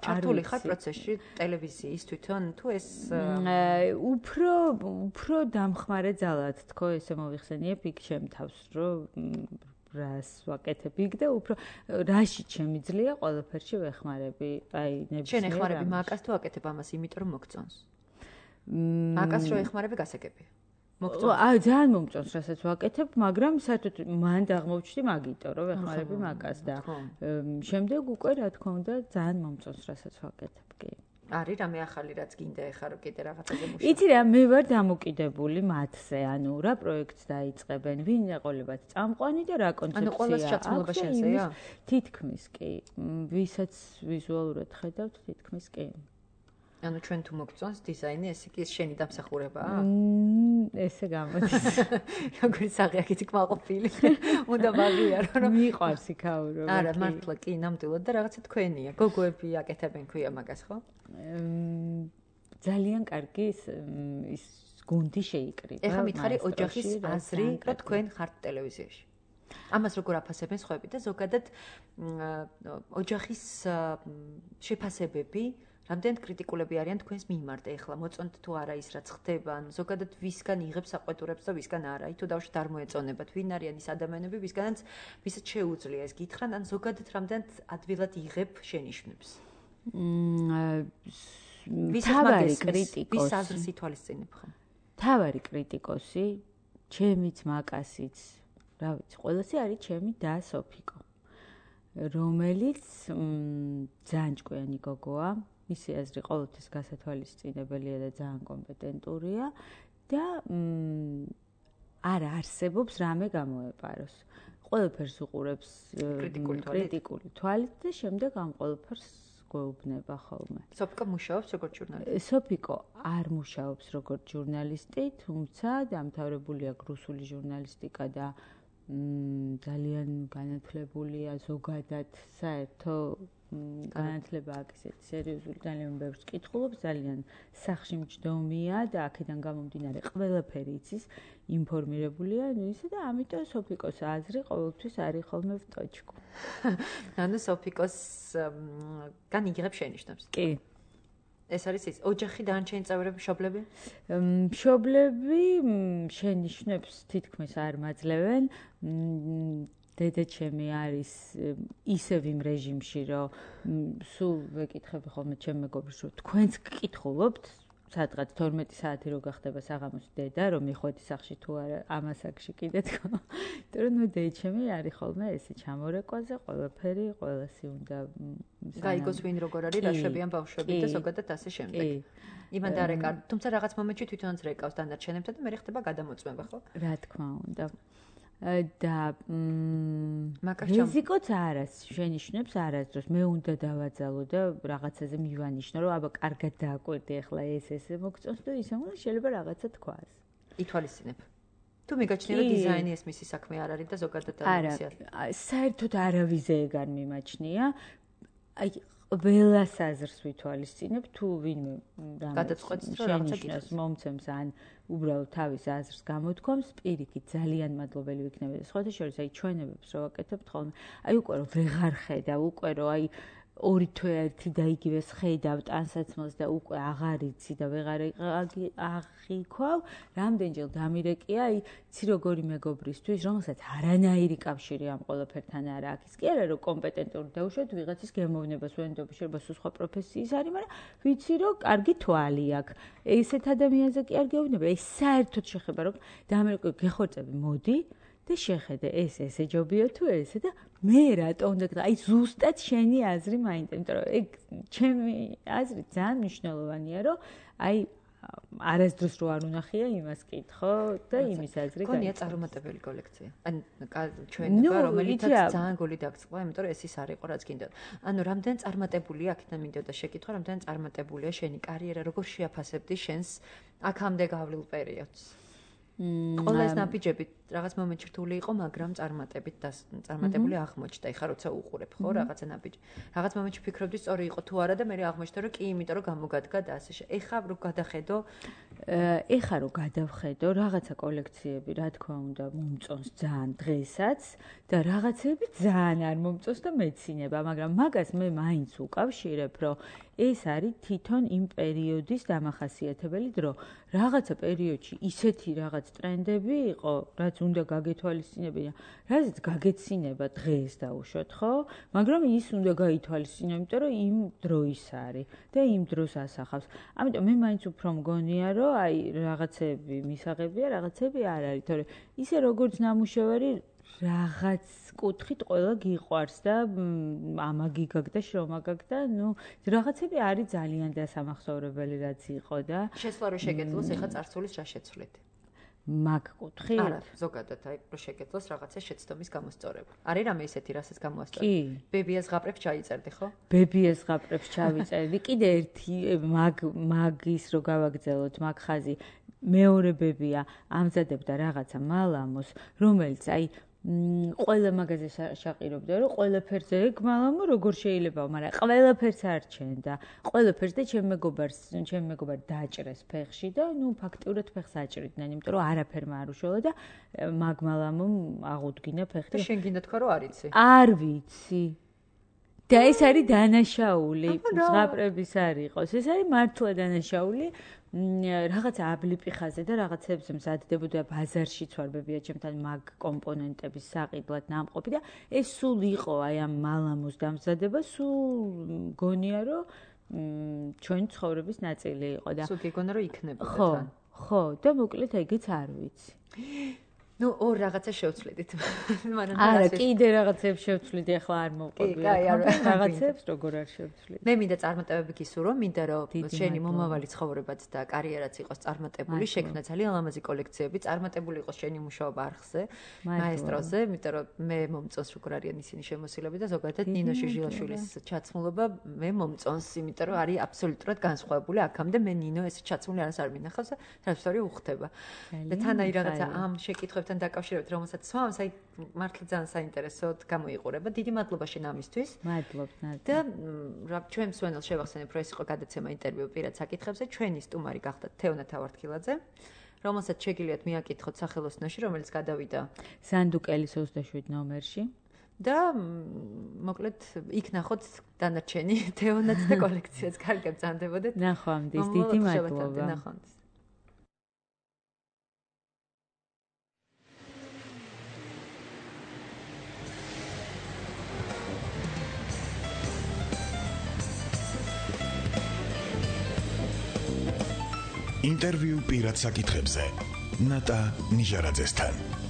ჩართული ხარ პროცესში ტელევიზიის თვითონ თუ ეს უფრო უფრო დამხმარე ძალად თქო ესე მოიხსენიებ იქ ჩემ თავს რომ რას ვაკეთებ იქ და უფრო რაში შემიძლია ყველაფერში ვეხმარები აი ნებისმიერ შენ ეხმარები მაკას თუ აკეთებ ამას იმიტომ რომ მოგწონს მაკას რო ეხმარები გასაგებია აი ძალიან მომწონს რასაც ვაკეთებ, მაგრამ საერთოდ მან აღმოჩნდი მაგიტო, რომ ვეხმარები მაკას და შემდეგ უკვე რა თქმა უნდა ძალიან მომწონს რასაც ვაკეთებ, კი. არის რამე ახალი რაც გინდა ეხა რომ კიდე რაღაცაზე მუშაობ. იცი რა, მე ვარ დამოკიდებული მათზე, ანუ რა პროექტს დაიწყებენ, ვინ ეყოლებათ წამყვანი და რა კონცეფცია. ანუ ყოველს ჩაცმულობა შენზეა? თითქმის კი. ვისაც ვიზუალურად ხედავთ, თითქმის კი. ანუ ჩვენ თუ მოგწონს დიზაინი, ეს კი შენი დამსახურებაა? ესე გამოდის. როგორი საღიაკით კმაყოფილი. უნდა ვაღიარო რომ მიყვარს იქაურო. არა, მართლა კი, ნამდვილად და რაღაცა თქვენია. გოგოები აკეთებენ ქვია მაგას, ხო? ძალიან კარგი ის გუნდი შეიკრიბა. ეხლა მითხარი ოჯახის აზრი, რომ თქვენ ხართ ტელევიზიაში. ამას როგორ აფასებენ სხვაები და ზოგადად ოჯახის შეფასებები რამდენად კრიტიკულები არიან თქვენს მიმართ ეხლა მოწონთ თუ არა ის რაც ხდება ან ზოგადად ვისგან იღებს საყვედურებს და ვისგან არა თუ დავშოთ არ მოეწონებათ ვინ არიან ის ადამიანები ვისგანაც ვისაც შეუძლია ეს გითხრან ან ზოგადად რამდენად ადვილად იღებ შენიშვნებს თავარი კრიტიკოსი ვის აზრს ითვალისწინებ ხომ თავარი კრიტიკოსი ჩემიც მაკასიც რა ვიცი ყველასი არის ჩემი და სოფიკო რომელიც ძალიან ჭკვიანი გოგოა მისი აზრი ყოველთვის გასათვალისწინებელია და ძალიან კომპეტენტურია და არ არსებობს რამე გამოეპაროს. ყველაფერს უყურებს კრიტიკული თვალით და შემდეგ ამ ყველაფერს გვეუბნება ხოლმე. სოფიკო მუშაობს როგორც ჟურნალისტი. სოფიკო არ მუშაობს როგორც ჟურნალისტი, თუმცა დამთავრებული აქვს რუსული ჟურნალისტიკა და ძალიან განათლებულია ზოგადად საერთო განათლება აქვს ესეთი სერიოზული ძალიან ბევრს კითხულობს ძალიან სახში მჯდომია და აქედან გამომდინარე ყველაფერი იცის ინფორმირებულია ნუ ისე და ამიტომ სოფიკოს აზრი ყოველთვის არის ხოლმე ვტოჩკო ანუ სოფიკოს გან იღებს შენიშვნებს კი ეს არის ის ოჯახი დანარჩენი წევრები მშობლები მშობლები შენიშვნებს თითქმის არ მაძლევენ დედა ჩემი არის ისევ იმ რეჟიმში რომ სულ ვეკითხები ხოლმე ჩემ მეგობრს რომ თქვენც გკითხულობთ სადღაც თორმეტი საათი რო გახდება საღამოს დედა რომ მიხვედი სახში თუ არა ამასაკში კიდე თქო იმიტომ რომ ნუ დედა ჩემი არის ხოლმე ესე ჩამორეკვაზე ყველაფერი ყველასი უნდა გაიგოს ვინ როგორ არის რა შვებიან ბავშვები და ზოგადად ასე შემდეგ იმან დარეკა თუმცა რაღაც მომენტში თვითონაც რეკავს დანარჩენებთან და მე ხდება გადამოწმება ხო რა თქმა უნდა და რიზიკოც არას შენიშვნებს არასდროს მე უნდა დავაძალო და რაღაცაზე მივანიშნო რომ აბა კარგად დააკვირდი ახლა ეს ესე მოგწონს და ისე უნდა შეიძლება რაღაცა თქვას ითვალისწინებ თუ მიგაჩნია რომ დიზაინი ეს მისი საქმე არ არის და ზოგადად არა საერთოდ არავიზე ეგ არ მიმაჩნია აი ყველას აზრს ვითვალისწინებ თუ ვინმე გადაწყვეტს რომ რაღაცა გიქნას მომცემს ან უბრალოდ თავის აზრს გამოთქვამს პირიქით ძალიან მადლობელი ვიქნები და სხვათა შორის აი ჩვენებებს რო ვაკეთებთ ხოლმე აი უკვე რომ ვეღარ ხედავ უკვე რომ აი ორი თვე ერთი და იგივეს ხედავ ტანსაცმელს და უკვე აღარ იცი და ვეღარ აღიქვალ რამდენჯერ დამირეკია აი ცი როგორი მეგობრისთვის რომელსაც არანაირი კავშირი ამ ყველაფერთან არ აქვს კი არა რომ კომპეტენტური დაუშვათ ვიღაცის გემოვნებას ვენდობა შეიძლება სულ სხვა პროფესიის არის მაგრამ ვიცი რომ კარგი თვალი აქვს ესეთ ადამიანზე კი არ გეუბნება ეს საერთოდ შეხება რომ დამირეკო გეხორწები მოდი და შეხედე ეს ესე ჯობია თუ ესე და მე რატო უნდა აი ზუსტად შენი აზრი მაინტერესებს იმიტომ რომ ეგ ჩემი აზრი ძალიან მნიშვნელოვანია რომ აი არასდროს რო არ უნახია იმას კითხო და იმის აზრი გაიგო. გონია წარუმატებელი კოლექცია. ან ჩვენება რომელიცაც ძალიან გული დაგწყვა, იმიტომ რომ ეს ის არ იყო რაც გინდოდა. ანუ რამდენ წარმატებულია აქედან მინდოდა შეკითხვა, რამდენ წარმატებულია შენი კარიერა, როგორ შეაფასებდი შენს აქამდე გავლილ პერიოდს? ყველა ეს ნაბიჯები რაღაც მომენტში რთული იყო, მაგრამ წარმატებით და წარმატებული აღმოჩნდა. ეხლა როცა უყურებ, ხო, რაღაცა ნაბიჯი. რაღაც მომენტში ფიქრობდი, სწორი იყო თუ არა და მე აღმოჩნდა, რომ კი, იმიტომ რომ გამოგადგა და ასე შე. ეხლა რო გადახედო, ეხლა რო გადავხედო, რაღაცა კოლექციები, რა თქმა უნდა, მომწონს ძალიან დღესაც და რაღაცები ძალიან არ მომწონს და მეცინება, მაგრამ მაგას მე მაინც უკავშირებ, რომ ეს არის თვითონ იმ პერიოდის დამახასიათებელი დრო. რაღაცა პერიოდში ისეთი რაღაც ტრენდები იყო, რაც უნდა გაგეთვალისწინებინა, რაც გაგეცინება დღეს დაუშვათ, ხო? მაგრამ ის უნდა გაითვალისწინო, იმიტომ რომ იმ დროის არის და იმ დროს ასახავს. ამიტომ მე მაინც უფრო მგონია, რომ აი რაღაცები მისაღებია, რაღაცები არ არის, თორე ისე როგორც ნამუშევარი რაღაც კუთხით ყველა გიყვარს და ამაგი გაგ და შრომაგაგ და ნუ რაღაცები არის ძალიან დასამახსოვრებელი რაც იყო და შესვლა რო შეგეძლოს ეხა წარსულის რა შეცვლით? მაგ კუთხით? არა, ზოგადად აი რო შეგეძლოს რაღაცა შეცდომის გამოსწორება. არის რამე ისეთი, რასაც გამოასწორებ? კი. ბებიას ზღაპრებს ჩაიწერდი, ხო? ბებიას ზღაპრებს ჩავიწერდი. კიდე ერთი მაგ მაგის რო გავაგრძელოთ, მაგ ხაზი მეორე ბებია ამზადებდა რაღაცა მალამოს, რომელიც აი ყველა მაგაზე შაყირობდა, რომ ყველაფერზე გმალამო როგორ შეიძლება, მაგრამ ყველაფერს არ ჩენდა. ყველაფერს და ჩემ მეგობარს, ჩემ მეგობარ დაჭრეს ფეხში და ნუ ფაქტიურად ფეხს აჭრიდნენ, იმიტომ რომ არაფერმა არ უშველა და მაგმალამომ აღუდგინა ფეხი. და შენ გინდა თქვა რომ არ იცი? არ ვიცი. და ეს არის დანაშაული, ზღაპრების არ იყოს. ეს არის მართლა დანაშაული. რაღაცა აბლიპი ხაზე და რაღაცებზე მზადდებოდა ბაზარშიც ვარ ბებია ჩემთან მაგ კომპონენტების საყიდლად ნამყოფი და ეს სულ იყო აი ამ მალამოს დამზადება, სულ გონია რომ ჩვენ ცხოვრების ნაწილი იყო და სულ გიგონა რომ იქნებოდა ხო, ხო და მოკლედ ეგეც არ ვიცი. ნუ ორ რაღაცა შევცვლიდით. მაგრამ არა, კიდე რაღაცებს შევცვლიდი, ახლა არ მოვყვები. რაღაცებს როგორ არ შევცვლიდი. მე მინდა წარმატებები გისურვო, მინდა რომ შენი მომავალი ცხოვრებაც და კარიერაც იყოს წარმატებული, შექმნა ძალიან ლამაზი კოლექციები, წარმატებული იყოს შენი მუშაობა არხზე, მაესტროზე, იმიტომ რომ მე მომწონს როგორ არიან ისინი შემოსილები და ზოგადად ნინო შიჟილაშვილის ჩაცმულობა მე მომწონს, იმიტომ რომ არის აბსოლუტურად განსხვავებული. აქამდე მე ნინო ეს ჩაცმული არას არ მინახავს და ტრანსფერი უხდება. და თან აი რაღაცა ამ შეკითხვებთან დაკავშირებით, რომელსაც სვამს, აი მართლა ძალიან საინტერესოდ გამოიყურება. დიდი მადლობა შენ ამისთვის. მადლობთ, ნატა. და რა ჩვენ მსვენელს შევახსენებ, რომ ეს იყო გადაცემა ინტერვიუ პირად საკითხებზე. ჩვენი სტუმარი გახდათ თეონა თავართქილაძე, რომელსაც შეგიძლიათ მიაკითხოთ სახელოსნოში, რომელიც გადავიდა სანდუკელის ოცდაშვიდ ნომერში. და მოკლედ იქ ნახოთ დანარჩენი თეონაც და კოლექციაც. კარგად ბრძანდებოდეთ. ნახვამდის, დიდი მადლობა. ნახვამდის. ინტერვიუ პირად საკითხებზე ნატა ნიჟარაძესთან.